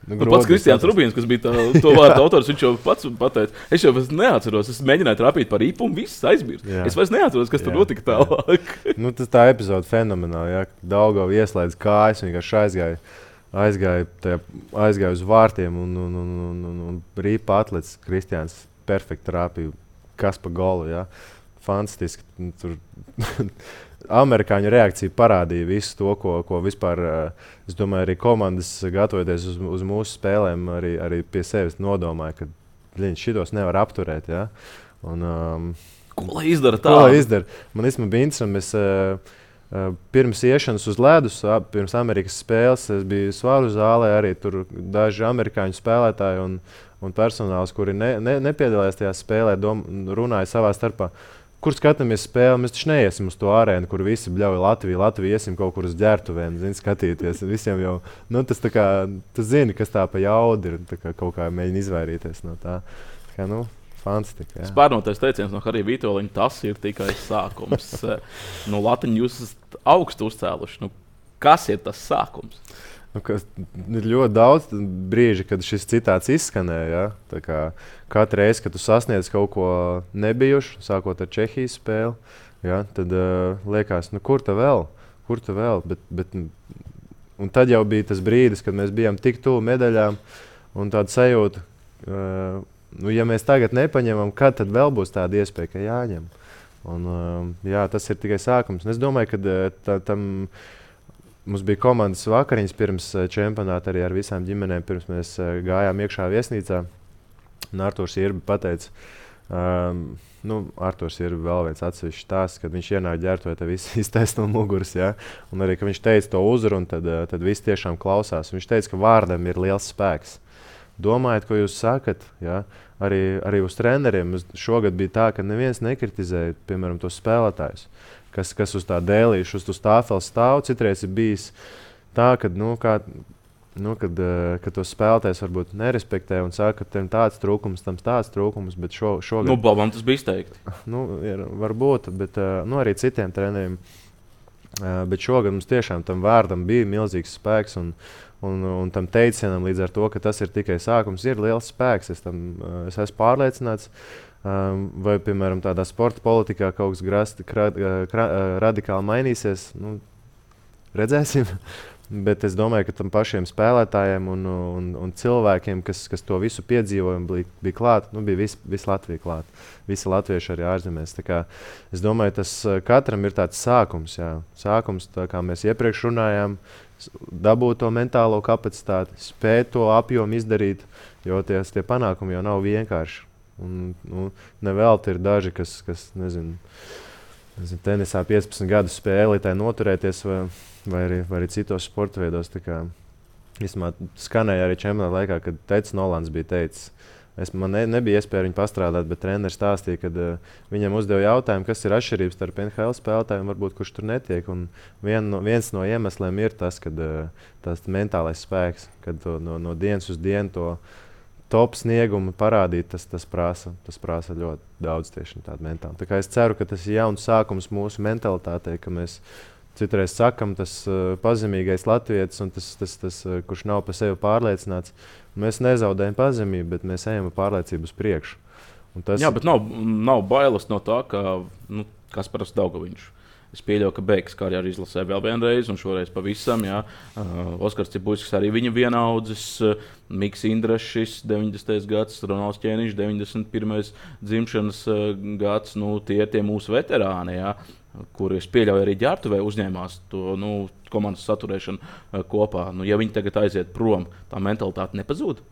[SPEAKER 1] nu, pats Kristiāns Rubīns, kas bija tā, to vārdu autors, viņš jau pats pateica, es jau neatceros, es mēģināju trāpīt par ripu un viss aizmirst. Es vairs neatceros, kas jā, tur notika tālāk.
[SPEAKER 2] nu, tas tā epizode fenomenāli, jā, Daugava ieslēdz kājas, vienkārši aizgāja. Aizgāja, tajā, aizgāja uz vārtiem un, un, un, un, un, un rīpa atlecis Kristiāns perfekti trāpīja, kas pa golu. Jā. Fantastiski. Tur amerikāņu reakcija parādīja visu to, ko, ko vispār, es domāju, arī komandas gatavoties uz, uz mūsu spēlēm, arī, arī pie sevis nodomāja, ka viņš šitos nevar apturēt. Jā. Un, um,
[SPEAKER 1] ko lai izdara tā?
[SPEAKER 2] Ko lai izdara? Man īstenībā bija interesanti, mēs uh, Uh, pirms iešanas uz ledus, uh, pirms Amerikas spēles, es biju Svaru zālē, arī tur daži amerikāņu spēlētāji un, un personāls, kuri ne, ne, nepiedalījās tajā spēlē, dom, runāja savā starpā, kur skatāmies spēli, mēs taču neiesim uz to arēnu, kur visi bļauj Latviju, Latviju iesim kaut kur uz ģērtuvēm, zin, skatīties. Visiem jau, nu, tas tā kā, tu zini, kas tā pa jaudu ir, tā kā kaut kā mēģina izvairīties no tā. Tā kā, nu, fantastika.
[SPEAKER 1] Spārnotais teiciens no Harija Vitoļiņa, tas ir tikai sākums. no Latiņa jūs esat augstu uzcēluši. Nu, kas ir tas sākums?
[SPEAKER 2] Nu, kas, ir ļoti daudz brīži, kad šis citāts izskanēja. Ja? Tā kā katru reizi, kad tu sasniedz kaut ko nebijušu, sākot ar Čehijas spēli, ja? Tad uh, liekas, nu, kur ta vēl? Kur ta vēl? Bet, bet, un tad jau bija tas brīdis, kad mēs bijām tik tuvu medaļām un tāda sajūta, uh, nu, ja mēs tagad nepaņemam, kad tad vēl būs tāda iespēja, ka jāņem. Un, uh, jā, tas ir tikai sākums. Un es domāju, ka tā, tam mums bija komandas vakariņas pirms čempionāta arī ar visām ģimenēm, pirms mēs uh, gājām iekšā viesnīcā. Un Artūrs Irbi pateica, Um, nu, Arturs ir vēl viens atsevišķs tās, kad viņš ienāk ģērbtuvē, tad viss iztaisno no muguras. Ja? Un arī, kad viņš teica to uzrunu, tad, tad viss tiešām klausās. Viņš teica, ka vārdam ir liels spēks. Domājiet, ko jūs sakat, ja? arī, arī uz treneriem. Šogad bija tā, ka neviens nekritizēja, piemēram, tos spēlētājus, kas, kas uz tā dēlīša, uz tā tāfeles stāv. Citreiz ir bijis tā, ka, nu, kā, nu, kad, kad tos spēlētājs varbūt nerespektē un saka, ka tam tāds trūkums, tam tāds trūkums, bet šo, šogad...
[SPEAKER 1] Nu, Bobam tas bija izteikti.
[SPEAKER 2] Nu, ir, varbūt, bet nu, arī citiem treneriem. Bet šogad mums tiešām tam vārdam bija milzīgs spēks un, un, un tam teicienam līdz ar to, ka tas ir tikai sākums, ir liels spēks. Es, tam, es esmu pārliecināts. Vai, piemēram, tādā sporta politikā kaut kas grasti, kra, kra, radikāli mainīsies, nu, redzēsim. Bet es domāju, ka tam pašiem spēlētājiem un, un, un cilvēkiem, kas, kas to visu piedzīvoja, bija, bija klāt, nu, bija visi vis Latvija klāt. Visi latvieši arī ārzemēs. Tā kā, es domāju, tas katram ir tāds sākums. Jā. Sākums, tā kā mēs iepriekš runājām, dabūt to mentālo kapacitāti, spēt to apjomu izdarīt, jo tie, tie panākumi jau nav vienkārši. Un, nu, nevelti ir daži, kas, kas nezinu, nezinu, tenisā piecpadsmit gadus spēlē, tai noturēties. Vai, Vai arī, vai arī citos sporta veidos. Vismā skanēja arī čempionāta laikā, kad Teicis Nolans bija teicis, es, man ne, nebija iespēja viņu pastrādāt, bet treneris stāstīja, kad uh, viņam uzdeva jautājumu, kas ir atšķirības starp N H L spēlētājiem, varbūt kurš tur netiek. Un vien no, viens no iemesliem ir tas, kad uh, tas mentālais spēks, kad to, no, no dienas uz dienu to top sniegumu parādīt, tas, tas, prasa, tas prasa ļoti daudz tieši tādu mentālu. Tā kā es ceru, ka tas ir jauns sākums mūsu mentalitātei, ka mēs citreiz sakam, tas uh, pazemīgais latvietis, un tas, tas, tas uh, kurš nav par sevi pārliecināts. Mēs nezaudējam pazemību, bet mēs ejam ar pārliecību uz priekšu. Un tas...
[SPEAKER 1] Jā, bet nav, nav bailes no tā, ka nu, Kasparas Daugaviņš. Es pieļauju, ka beigas karjeru izlasē vēl vienreiz, un šoreiz pavisam. Jā. Uh, Oskars Cibuļskis arī viņa vienaudzis, uh, Miks Indrašs, deviņdesmitais gads, Ronalds Ķēniņš, deviņdesmit pirmais dzimšanas uh, gads. Nu, tie ir tie mūsu veterāni. Jā. Kur es pieļauju, arī ģērbtuvē uzņēmās to nu, komandas saturēšanu uh, kopā. Nu, ja viņi tagad aiziet prom, tā mentalitāte nepazūd.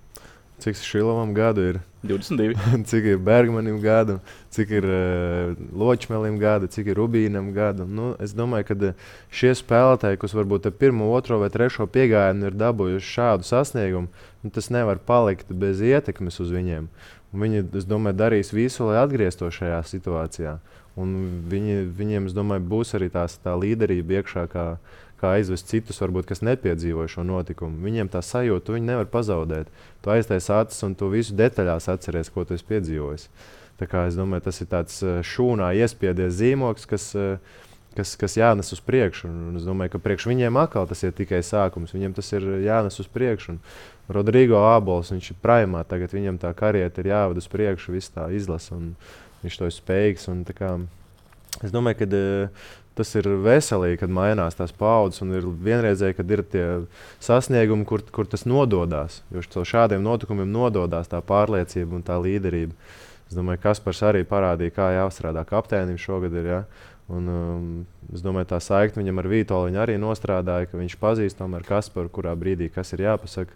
[SPEAKER 2] Cik Šilovam gadu ir?
[SPEAKER 1] divdesmit divi.
[SPEAKER 2] Cik ir Bergmanim gadu, cik ir uh, Ločmelim gadu, cik ir Rubīnam gadu. Nu, es domāju, ka šie spēlētāji, kas varbūt ar pirmo, otro vai trešo piegājienu ir dabūjuši šādu sasniegumu, nu, tas nevar palikt bez ietekmes uz viņiem. Un viņi, es domāju, darīs visu, lai atgrieztos šajā situācijā. Un viņi, viņiem, es domāju, būs arī tās, tā līderība iekšā, kā, kā aizvest citus, varbūt, kas nepiedzīvoja šo notikumu. Viņiem tā sajūta, viņi nevar pazaudēt. Tu aiztais acis un tu visu detaļās atceries, ko tu esi piedzīvojis. Tā kā es domāju, tas ir tāds šūnā iespiedies zīmoks, kas, kas, kas jānes uz priekšu. Un es domāju, ka priekš viņiem atkal tas ir tikai sākums. Viņiem tas ir jānes uz priekšu. Un Rodrigo Ābols, viņš ir primā, tagad viņam tā karjera ir jāved uz priekšu, viss tā izlasa. Un viņš to ir spējīgs. Un, kā, es domāju, ka uh, tas ir veselīgi, kad mainās tās paudzes. Un ir vienreizēji, kad ir tie sasniegumi, kur, kur tas nododās. Jo šādiem notikumiem nododās tā pārliecība un tā līderība. Es domāju, ka Kaspars arī parādīja, kā jāstrādā kapteinim šogad. Ir, ja? Un, um, es domāju, tā saikne viņam ar Vītoliņu arī nostrādāja, ka viņš pazīst tomēr Kasparu, kurā brīdī kas ir jāpasaka.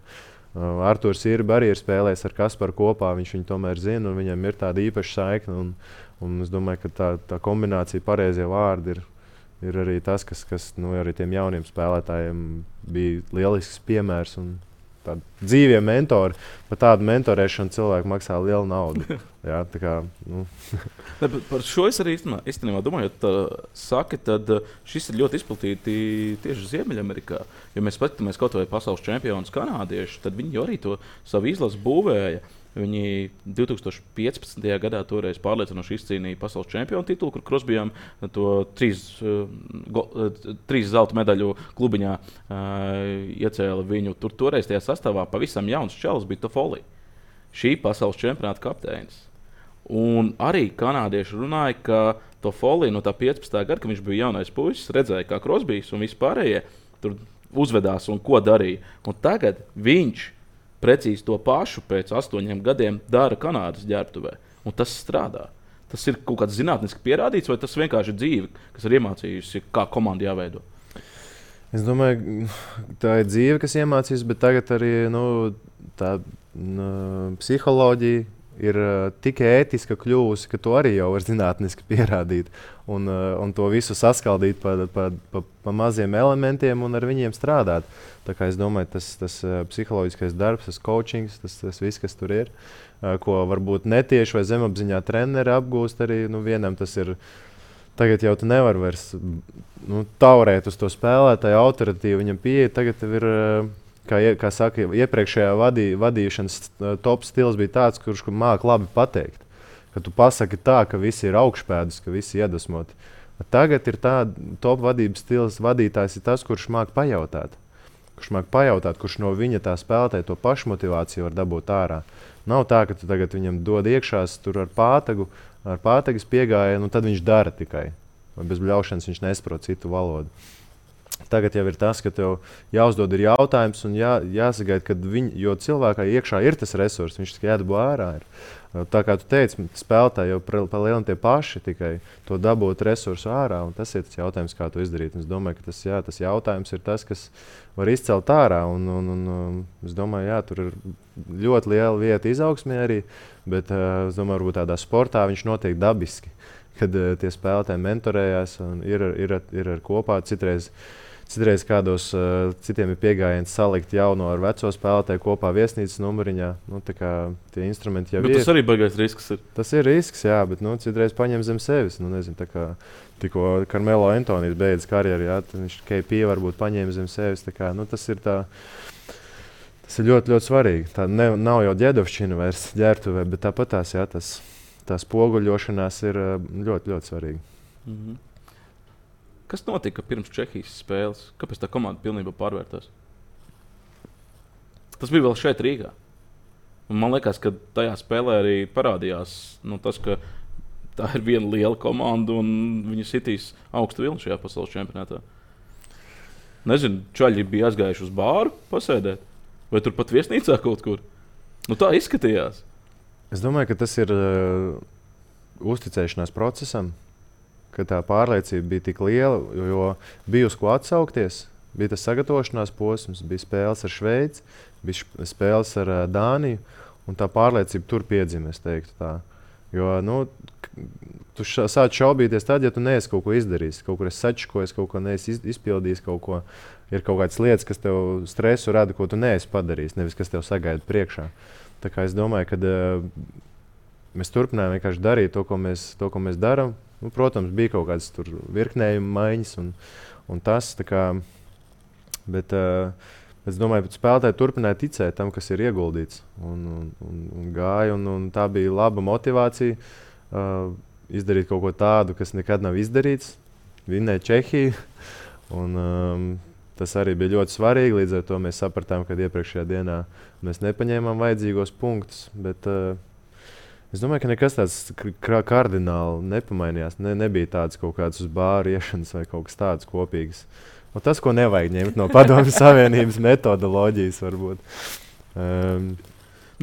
[SPEAKER 2] Uh, Arturs Irba arī ir spēlējis ar Kasparu kopā, viņš viņu tomēr zina, un viņam ir tāda īpaša saikne. Un, un es domāju, ka tā, tā kombinācija, pareizie vārdi ir, ir arī tas, kas, kas nu, arī tiem jauniem spēlētājiem bija lielisks piemērs. Un tādi dzīvie mentori, par tādu mentorēšanu cilvēku maksā lielu naudu. Jā, tā kā, nu.
[SPEAKER 1] Ne, par šo es arī īstenībā domāju, ka saki, tad šis ir ļoti izplatīti tieši Ziemeļamerikā. Ja mēs paskatāmies kaut vai pasaules čempionus kanādieši, tad viņi arī to savu izlasi būvēja. Viņi divi tūkstoši piecpadsmitajā gadā toreiz pārliecinoši izcīnīja pasaules čempionu titulu, kur Krosbijam to trīs, go, trīs zelta medaļu klubiņā uh, iecēla viņu. Tur toreiz tajā sastāvā pavisam jauns čalis bija Toffoli, šī pasaules čempionāta kapteinis. Un arī kanādieši runāja, ka Toffoli no tā piecpadsmitā gada, kad viņš bija jaunais puisis, redzēja, kā Krosbijs un vispārējie tur uzvedās un ko darīja. Un tagad viņš precīzi to pašu pēc astoņiem gadiem dara Kanādas ģērbtuvē. Un tas strādā. Tas ir kaut kāds zinātniski pierādīts, vai tas vienkārši ir dzīve, kas ir iemācījusi, kā komanda jāveido?
[SPEAKER 2] Es domāju, tā ir dzīve, kas iemācīs, bet tagad arī nu, tā nu, psiholoģija ir uh, tik ētiska kļuvusi, ka to arī jau var zinātniski pierādīt. Un, uh, un to visu saskaldīt pa, pa, pa, pa maziem elementiem un ar viņiem strādāt. Tā kā es domāju, tas, tas uh, psiholoģiskais darbs, tas coachings, tas, tas viss, kas tur ir, uh, ko varbūt netieši vai zemapziņā treneri apgūst arī, nu vienam tas ir, tagad jau tu nevar vairs nu, taurēt uz to spēlētāju autoritīvu viņam pieeja, tagad tev ir... Uh, Kā, kā saka, iepriekšējā vadī, vadīšanas top stils bija tāds, kurš māca labi pateikt. Ka tu pasaki tā, ka visi ir augšpēdus, ka visi iedvesmoti. Tagad ir tā top vadības stils, vadītājs ir tas, kurš māca pajautāt. Kurš māca pajautāt, kurš no viņa tā spēlētāja to pašmotivāciju var dabūt ārā. Nav tā, ka tu tagad viņam dod iekšās tur ar pātagu, ar pātagas piegājienu, un tad viņš dara tikai. Vai bez bļaušanas viņš nesaprot citu valodu. Tagad jau ir tas, ka tev jāuzdod ir jautājums un jā, jāsagaida, ka viņi, jo cilvēkā iekšā ir tas resurs, viņš tikai jādabū ārā. Ir. Tā kā tu teici, spēlētāji jau pa lielu tie paši tikai to dabūt resursu ārā, un tas ir tas jautājums, kā to izdarīt. Un es domāju, ka tas, jā, tas jautājums ir tas, kas var izcelt ārā, un, un, un, un es domāju, jā, tur ir ļoti liela vieta izaugsmē arī, bet uh, es domāju, varbūt tādā sportā viņš notiek dabiski, kad uh, tie spēlētāji mentorējās un ir, ir, ir, ir ar kopā citreiz. Citreiz kādos uh, citiem ir piegājiens salikt jauno ar veco spēlētāju kopā viesnīcas numuriņā. Nu, tā kā tie instrumenti jau
[SPEAKER 1] bet
[SPEAKER 2] ir.
[SPEAKER 1] Tas arī baigais risks ir.
[SPEAKER 2] Tas ir risks, jā, bet nu, citreiz paņem zem sevis. Nu, nezinu, tā kā tikko Carmelo Antonijs beidz karjeru, jā, viņš K P varbūt paņēma zem sevis. Tā kā, nu, tas ir tā, tas ir ļoti, ļoti svarīgi. Tā ne, nav jau ģēdovšķina vairs ģērbtuvē, bet tāpat tās, jā, tas, tā spoguļošanās ir ļoti, ļoti svarīga.
[SPEAKER 1] Mhm. Kas notika pirms Čehijas spēles? Kāpēc tā komanda pilnībā pārvērtās? Tas bija vēl šeit Rīgā. Un man liekas, ka tajā spēlē arī parādījās nu, tas, ka tā ir viena liela komanda un viņi sitīs augstu vilnu šajā pasaules čempionātā. Nezinu, čaļi bija aizgājuši uz bāru pasēdēt? Vai tur pat viesnīcā kaut kur? Nu tā izskatījās.
[SPEAKER 2] Es domāju, ka tas ir uh, uzticēšanās procesam. Ka tā pārliecība bija tik liela, jo bija uz ko atsaukties. Bija tas sagatavošanās posms, bija spēles ar Šveici, bija spēles ar uh, Dāniju, un tā pārliecība tur piedzima, es teiktu tā. Jo, nu, tu ša, sāc šaubīties tad, ja tu neesi kaut ko izdarījis, kaut kur esi sačakojis, kaut ko neesi izpildījis, kaut ko, ir kaut kādas lietas, kas tev stresu rada, ko tu neesi padarījis, nevis kas tev sagaida priekšā. Tā kā es domāju, ka uh, mēs turpinājām vienkārši darīt to, ko mēs, to, ko mēs darām. Nu, protams, bija kaut kādas virknējuma maiņas un, un tas. Kā, bet uh, es domāju, ka spēlētāji turpināja ticēt tam, kas ir ieguldīts. Un, un, un, un gāja, un, un tā bija laba motivācija uh, izdarīt kaut ko tādu, kas nekad nav izdarīts. Vinnēt Čehiju. Un, um, tas arī bija ļoti svarīgi. Līdz ar to mēs sapratām, ka iepriekšējā dienā mēs nepaņēmām vajadzīgos punktus. Bet, uh, Es domāju, ka nekas tāds kardināli nepamainījās. Ne, nebija tāds kaut kāds uz bāru iešanas vai kaut kas tāds kopīgs. Un tas, ko nevajag ņemt no Padomju Savienības metodoloģijas, varbūt. Um,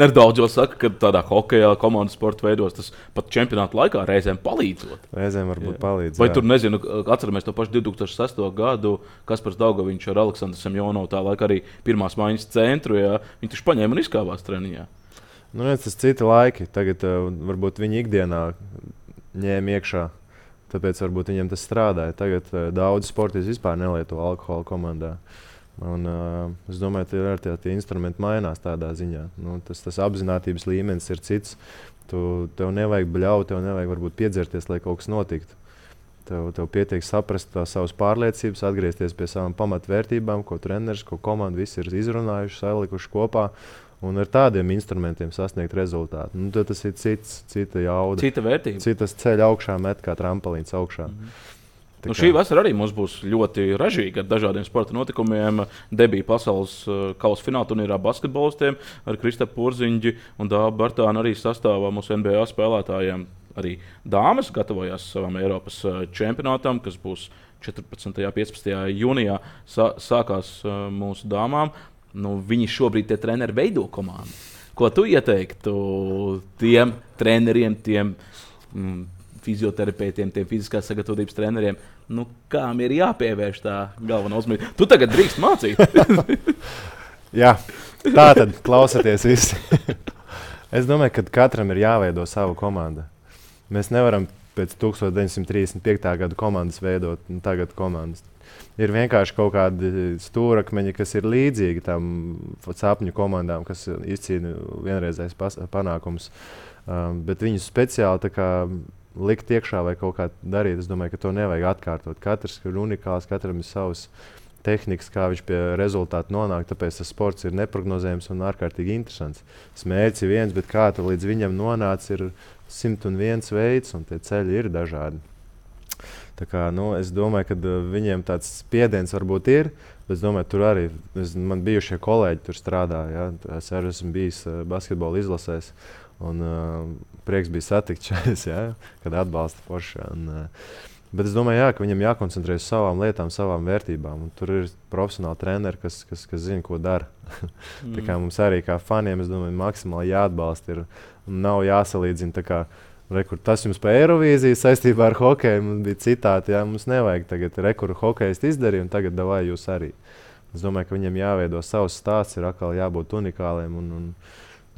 [SPEAKER 1] Nedaudz jau saka, ka tādā hokejā, komandas sporta veidos tas pat čempionāta laikā reizēm palīdzot.
[SPEAKER 2] Reizēm varbūt jā. palīdz.
[SPEAKER 1] Vai
[SPEAKER 2] jā.
[SPEAKER 1] tur, nezinu, atceramies to pašu divi tūkstoši sesto gadu, Kaspars Daugaviņš ar Aleksandru Semjonovu tā laika arī pirmās maiņas centru, jā. Viņi taču paņēma un izkāvās treniņā.
[SPEAKER 2] Nu, redz, tas citi laiki. Tagad uh, varbūt viņi ikdienā ņēma iekšā, tāpēc varbūt viņiem tas strādāja. Tagad uh, daudz sportisti vispār nelieto alkoholu komandā. Un, uh, es domāju, ka tie, tie instrumenti mainās tādā ziņā. Nu, tas, tas apzinātības līmenis ir cits. Tu, tev nevajag bļaut, tev nevajag varbūt piedzerties, lai kaut kas notiktu. Tev, tev pietiek saprast tās savas pārliecības, atgriezties pie savām pamatvērtībām, ko treneris, ko komanda visi ir izrunājuši, salikuši kopā. Un ar tādiem instrumentiem sasniegt rezultātu. Nu, tas ir cits, cita jauda.
[SPEAKER 1] Cita vērtība.
[SPEAKER 2] Citas ceļa augšā met kā trampolīns augšā.
[SPEAKER 1] Mm-hmm. Nu, šī vasara arī mums būs ļoti ražīga ar dažādiem sporta notikumiem. Debija pasaules uh, kausa fināla turnīrā basketbolistiem ar Kristapu Porziņģi un Dāvu Bartānu arī sastāvā mūsu N B A spēlētājiem. Arī dāmas gatavojās savam Eiropas uh, čempionātam, kas būs četrpadsmitajā un piecpadsmitajā jūnijā. Sā, sākās uh, mūsu dāmām. Nu, viņi šobrīd tie treneri veido komandu. Ko tu ieteiktu tiem treneriem, tiem mm, fizioterapeitiem, tiem fiziskās sagatavotības treneriem? Nu, kām ir jāpievērš tā galvenā uzmanība? Tu tagad drīkst mācīt.
[SPEAKER 2] Jā, tā tad klausieties visi. Es domāju, ka katram ir jāveido sava komanda. Mēs nevaram pēc tuksneša deviņsimt trīsdesmit piektajā gada komandas veidot, un tagad komandas. Ir vienkārši kaut kādi stūrakmeņi, kas ir līdzīgi tam sapņu komandām, kas izcīna vienreizējs panākums. Um, bet viņus speciāli kā, likt iekšā vai kaut kā darīt, es domāju, ka to nevajag atkārtot. Katrs ir unikāls, katram ir savs tehnikas, kā viņš pie rezultātu nonāk. Tāpēc tas sports ir neprognozējams un ārkārtīgi interesants. Smērķis ir viens, bet kā tu līdz viņam nonāc, ir simt un viens veids, un tie ceļi ir dažādi. Tā kā, nu, es domāju, ka uh, viņiem tāds spiediens varbūt ir, bet es domāju, tur arī es, man bijušie kolēģi tur strādā. Ja? Es arī esmu bijis uh, basketbola izlasēs, un uh, prieks bija satikt šais, ja? Kad atbalsta forši. Un, uh, bet es domāju, jā, ka viņam jākoncentrējas uz savām lietām, savām vērtībām. Un tur ir profesionāli treneri, kas, kas, kas zina, ko dara. mm. Tā kā mums arī kā faniem, es domāju, maksimāli jāatbalsta ir, un nav jāsalīdzina. Tā kā, Rekur, tas jums pa Eirovīziju saistībā ar hokeju mums bija citāti. Jā, mums nevajag tagad rekuru hokejistu izdarīt, un tagad davai jūs arī. Es domāju, ka viņiem jāveido savs stāsts, ir atkal jābūt unikāliem. Un, un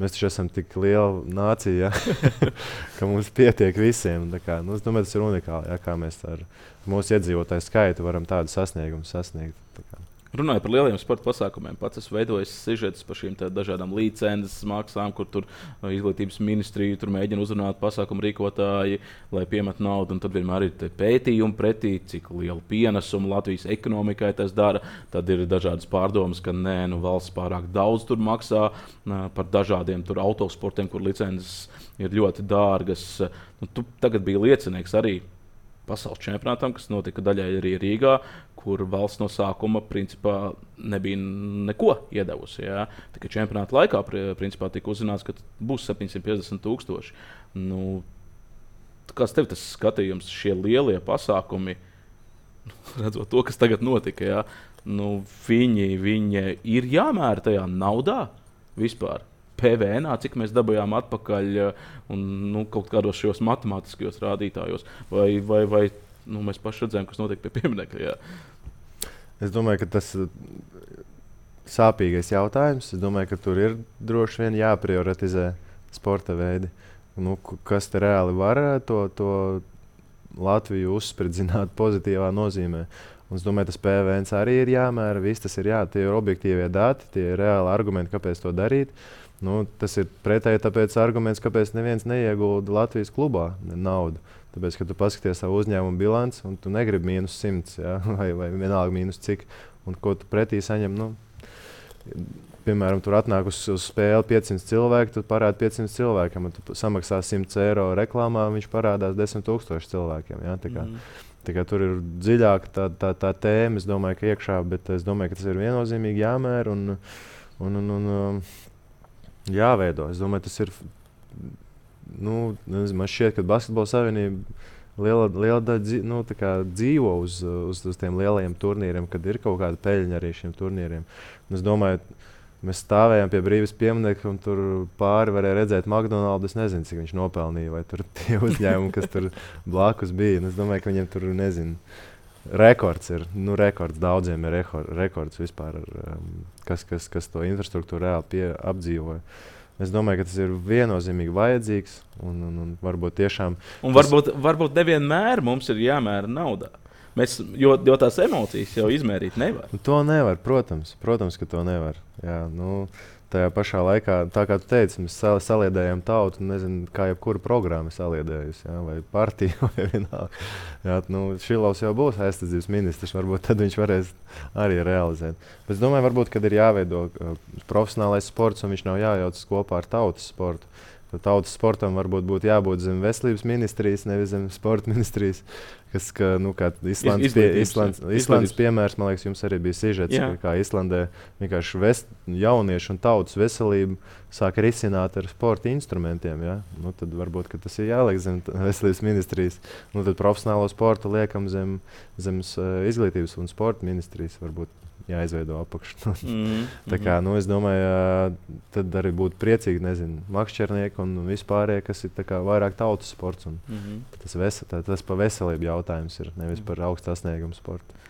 [SPEAKER 2] mēs taču esam tik liela nācija, ja? Ka mums pietiek visiem. Kā, nu, es domāju, tas ir unikāli, ja? Kā mēs ar mūsu iedzīvotāju skaitu varam tādu sasniegumu sasniegt.
[SPEAKER 1] Runājot par lieliem sporta pasākumiem, pats esmu veidojis sižetus par šīm dažādām licences maksām, kur tur izglītības ministrija tur mēģina uzrunāt pasākumu rīkotāji, lai piemet naudu. Tad vienmēr ir pētījumi pretī, cik lielu pienesumu Latvijas ekonomikai tas dara. Tad ir dažādas pārdomas, ka nē, nu, valsts pārāk daudz tur maksā par dažādiem tur autosportiem, kur licences ir ļoti dārgas. Nu, tu tagad biji liecinieks arī pasaules čempionātam, kas notika daļai arī Rīgā, kur valsts no sākuma principā nebija neko iedevusi. Ja? Tikai čempionāta laikā principā tika uzzināts, ka būs septiņsimt piecdesmit tūkstoši. Nu, kāds tev tas skatījums, šie lielie pasākumi, redzot to, kas tagad notika, ja? Nu, viņi, viņi ir jāmēra tajā naudā vispār? P V N, cik mēs dabūjām atpakaļ un nu, kaut kādos šos matemātiskajos rādītājos, vai, vai, vai nu, mēs paši redzējām, kas notiek pie pieminekļa. Jā.
[SPEAKER 2] Es domāju, ka tas ir sāpīgais jautājums. Es domāju, ka tur ir droši vien jāprioritizē sporta veidi. Nu, kas te reāli var to, to Latviju uzspridzināt pozitīvā nozīmē. Un es domāju, tas P V N arī ir jāmēra, viss tas ir jā, tie ir objektīvie dati, tie ir reāli argumenti, kāpēc to darīt. Nu, tas ir pretēji tāpēc arguments, kāpēc neviens neiegulda Latvijas klubā naudu. Tāpēc, ka tu paskaties savu uzņēmumu bilanci un tu negribi mīnus simts, ja? vai, vai vienalga mīnus cik, un ko tu pretī saņem. Nu, piemēram, tur atnāk uz, uz spēli piecsimt cilvēku, tu parādi piecsimt cilvēkiem, un tu samaksā simt eiro reklāmā, viņš parādās desmit tūkstoši cilvēkiem. Ja? Tā kā, mm. tā kā tur ir dziļāka tā, tā, tā tēma, es domāju, ka iekšā, bet es domāju, ka tas ir viennozīmīgi jāmēr un, un, un, un jāveido. Es domāju, tas ir, nu, nezinu, man šķiet, ka Basketbola savienība liela, liela daļa nu, dzīvo uz, uz, uz tiem lielajiem turnīriem, kad ir kaut kāda peļņa arī šiem turnīriem. Un es domāju, mēs stāvējām pie Brīvības pieminekļa, un tur pāri varēja redzēt McDonald's. Es nezinu, cik viņš nopelnīja, vai tur tie uzņēmumi, kas tur blakus bija. Un es domāju, ka viņiem tur, nezinu, rekords ir. Nu, rekords daudziem ir rekords vispār, um, kas, kas, kas to infrastruktūru reāli pie, apdzīvoja. Es domāju, ka tas ir viennozīmīgi vajadzīgs. Un, un, un varbūt tiešām.
[SPEAKER 1] Un
[SPEAKER 2] tas...
[SPEAKER 1] varbūt, varbūt nevienmēr mums ir jāmēra naudā. Mēs, jo, jo tās emocijas jau izmērīt nevar.
[SPEAKER 2] To nevar, protams. Protams, ka to nevar. Jā, nu, tajā pašā laikā, tā kā tu teici, mēs sal saliedējam tautu, nezinu, kā jebkura programma saliedējusi, jā, vai partija, vai vienalga. Jā, nu, Šilovs jau būs aizsardzības ministrs, varbūt tad viņš varēs arī realizēt. Bet es domāju, varbūt, kad ir jāveido uh, profesionālais sports, un viņš nav jājaucas kopā ar tautas sportu. Tautas sportam varbūt būtu jābūt zem veselības ministrijas, nevis zem sporta ministrijas. Kas, ka, nu, kā Islandes, pie, Islandes, Islandes piemērs, man liekas, jums arī bija sižets, ka, kā Islandē vienkārši vest, jauniešu un tautas veselību sāk risināt ar sporta instrumentiem. Ja? Nu, tad varbūt, ka tas ir jāliek zem veselības ministrijas. Nu, tad profesionālo sportu liekam zem, zem uh, izglītības un sporta ministrijas varbūt. Jāizveido apakšu. mm, tā kā, nu, es domāju, tad arī būtu priecīgi, nezinu, makšķernieki un vispārējie, kas ir tā kā vairāk tautas sports. Un mm -hmm. tas, vesa, tā, tas pa veselību jautājums ir, nevis par augstu sasniegumu sportu.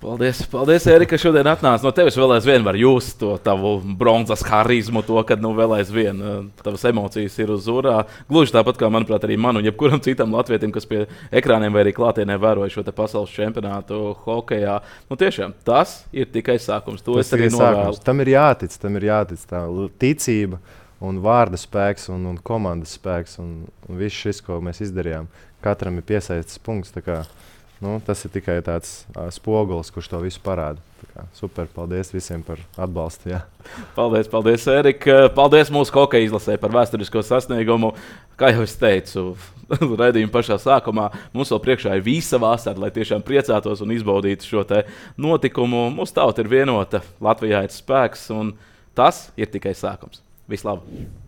[SPEAKER 1] Paldies, paldies Erika, ka šodien atnāc. No tevis vēl aizvien var just to tavu bronzas harizmu, to, kad nu vēl aizvien tavas emocijas ir uz urā. Gluži tāpat kā, manuprāt, arī man un jebkuram citam latvietim, kas pie ekrāniem vai arī klātienē vēroja šo te pasaules čempionātu hokejā. Nu tiešām, tas ir tikai sākums. To tas es arī novēlu.
[SPEAKER 2] Tam ir jātic, tam ir jātic tā ticība un vārda spēks un, un komandas spēks un, un viss šis, ko mēs izdarījām. Katram ir piesaistīts punkts. Nu, tas ir tikai tāds uh, spogulis, kurš to visu parāda. Kā, super, paldies visiem par atbalstu. Jā.
[SPEAKER 1] Paldies, paldies, Erika. Paldies mūsu hokeja izlasē par vēsturisko sasniegumu. Kā jau es teicu, raidījuma pašā sākumā, mums vēl priekšā ir visa vasara, lai tiešām priecātos un izbaudītu šo te notikumu. Mūsu tauta ir vienota, Latvijā ir spēks, un tas ir tikai sākums. Vislabāk!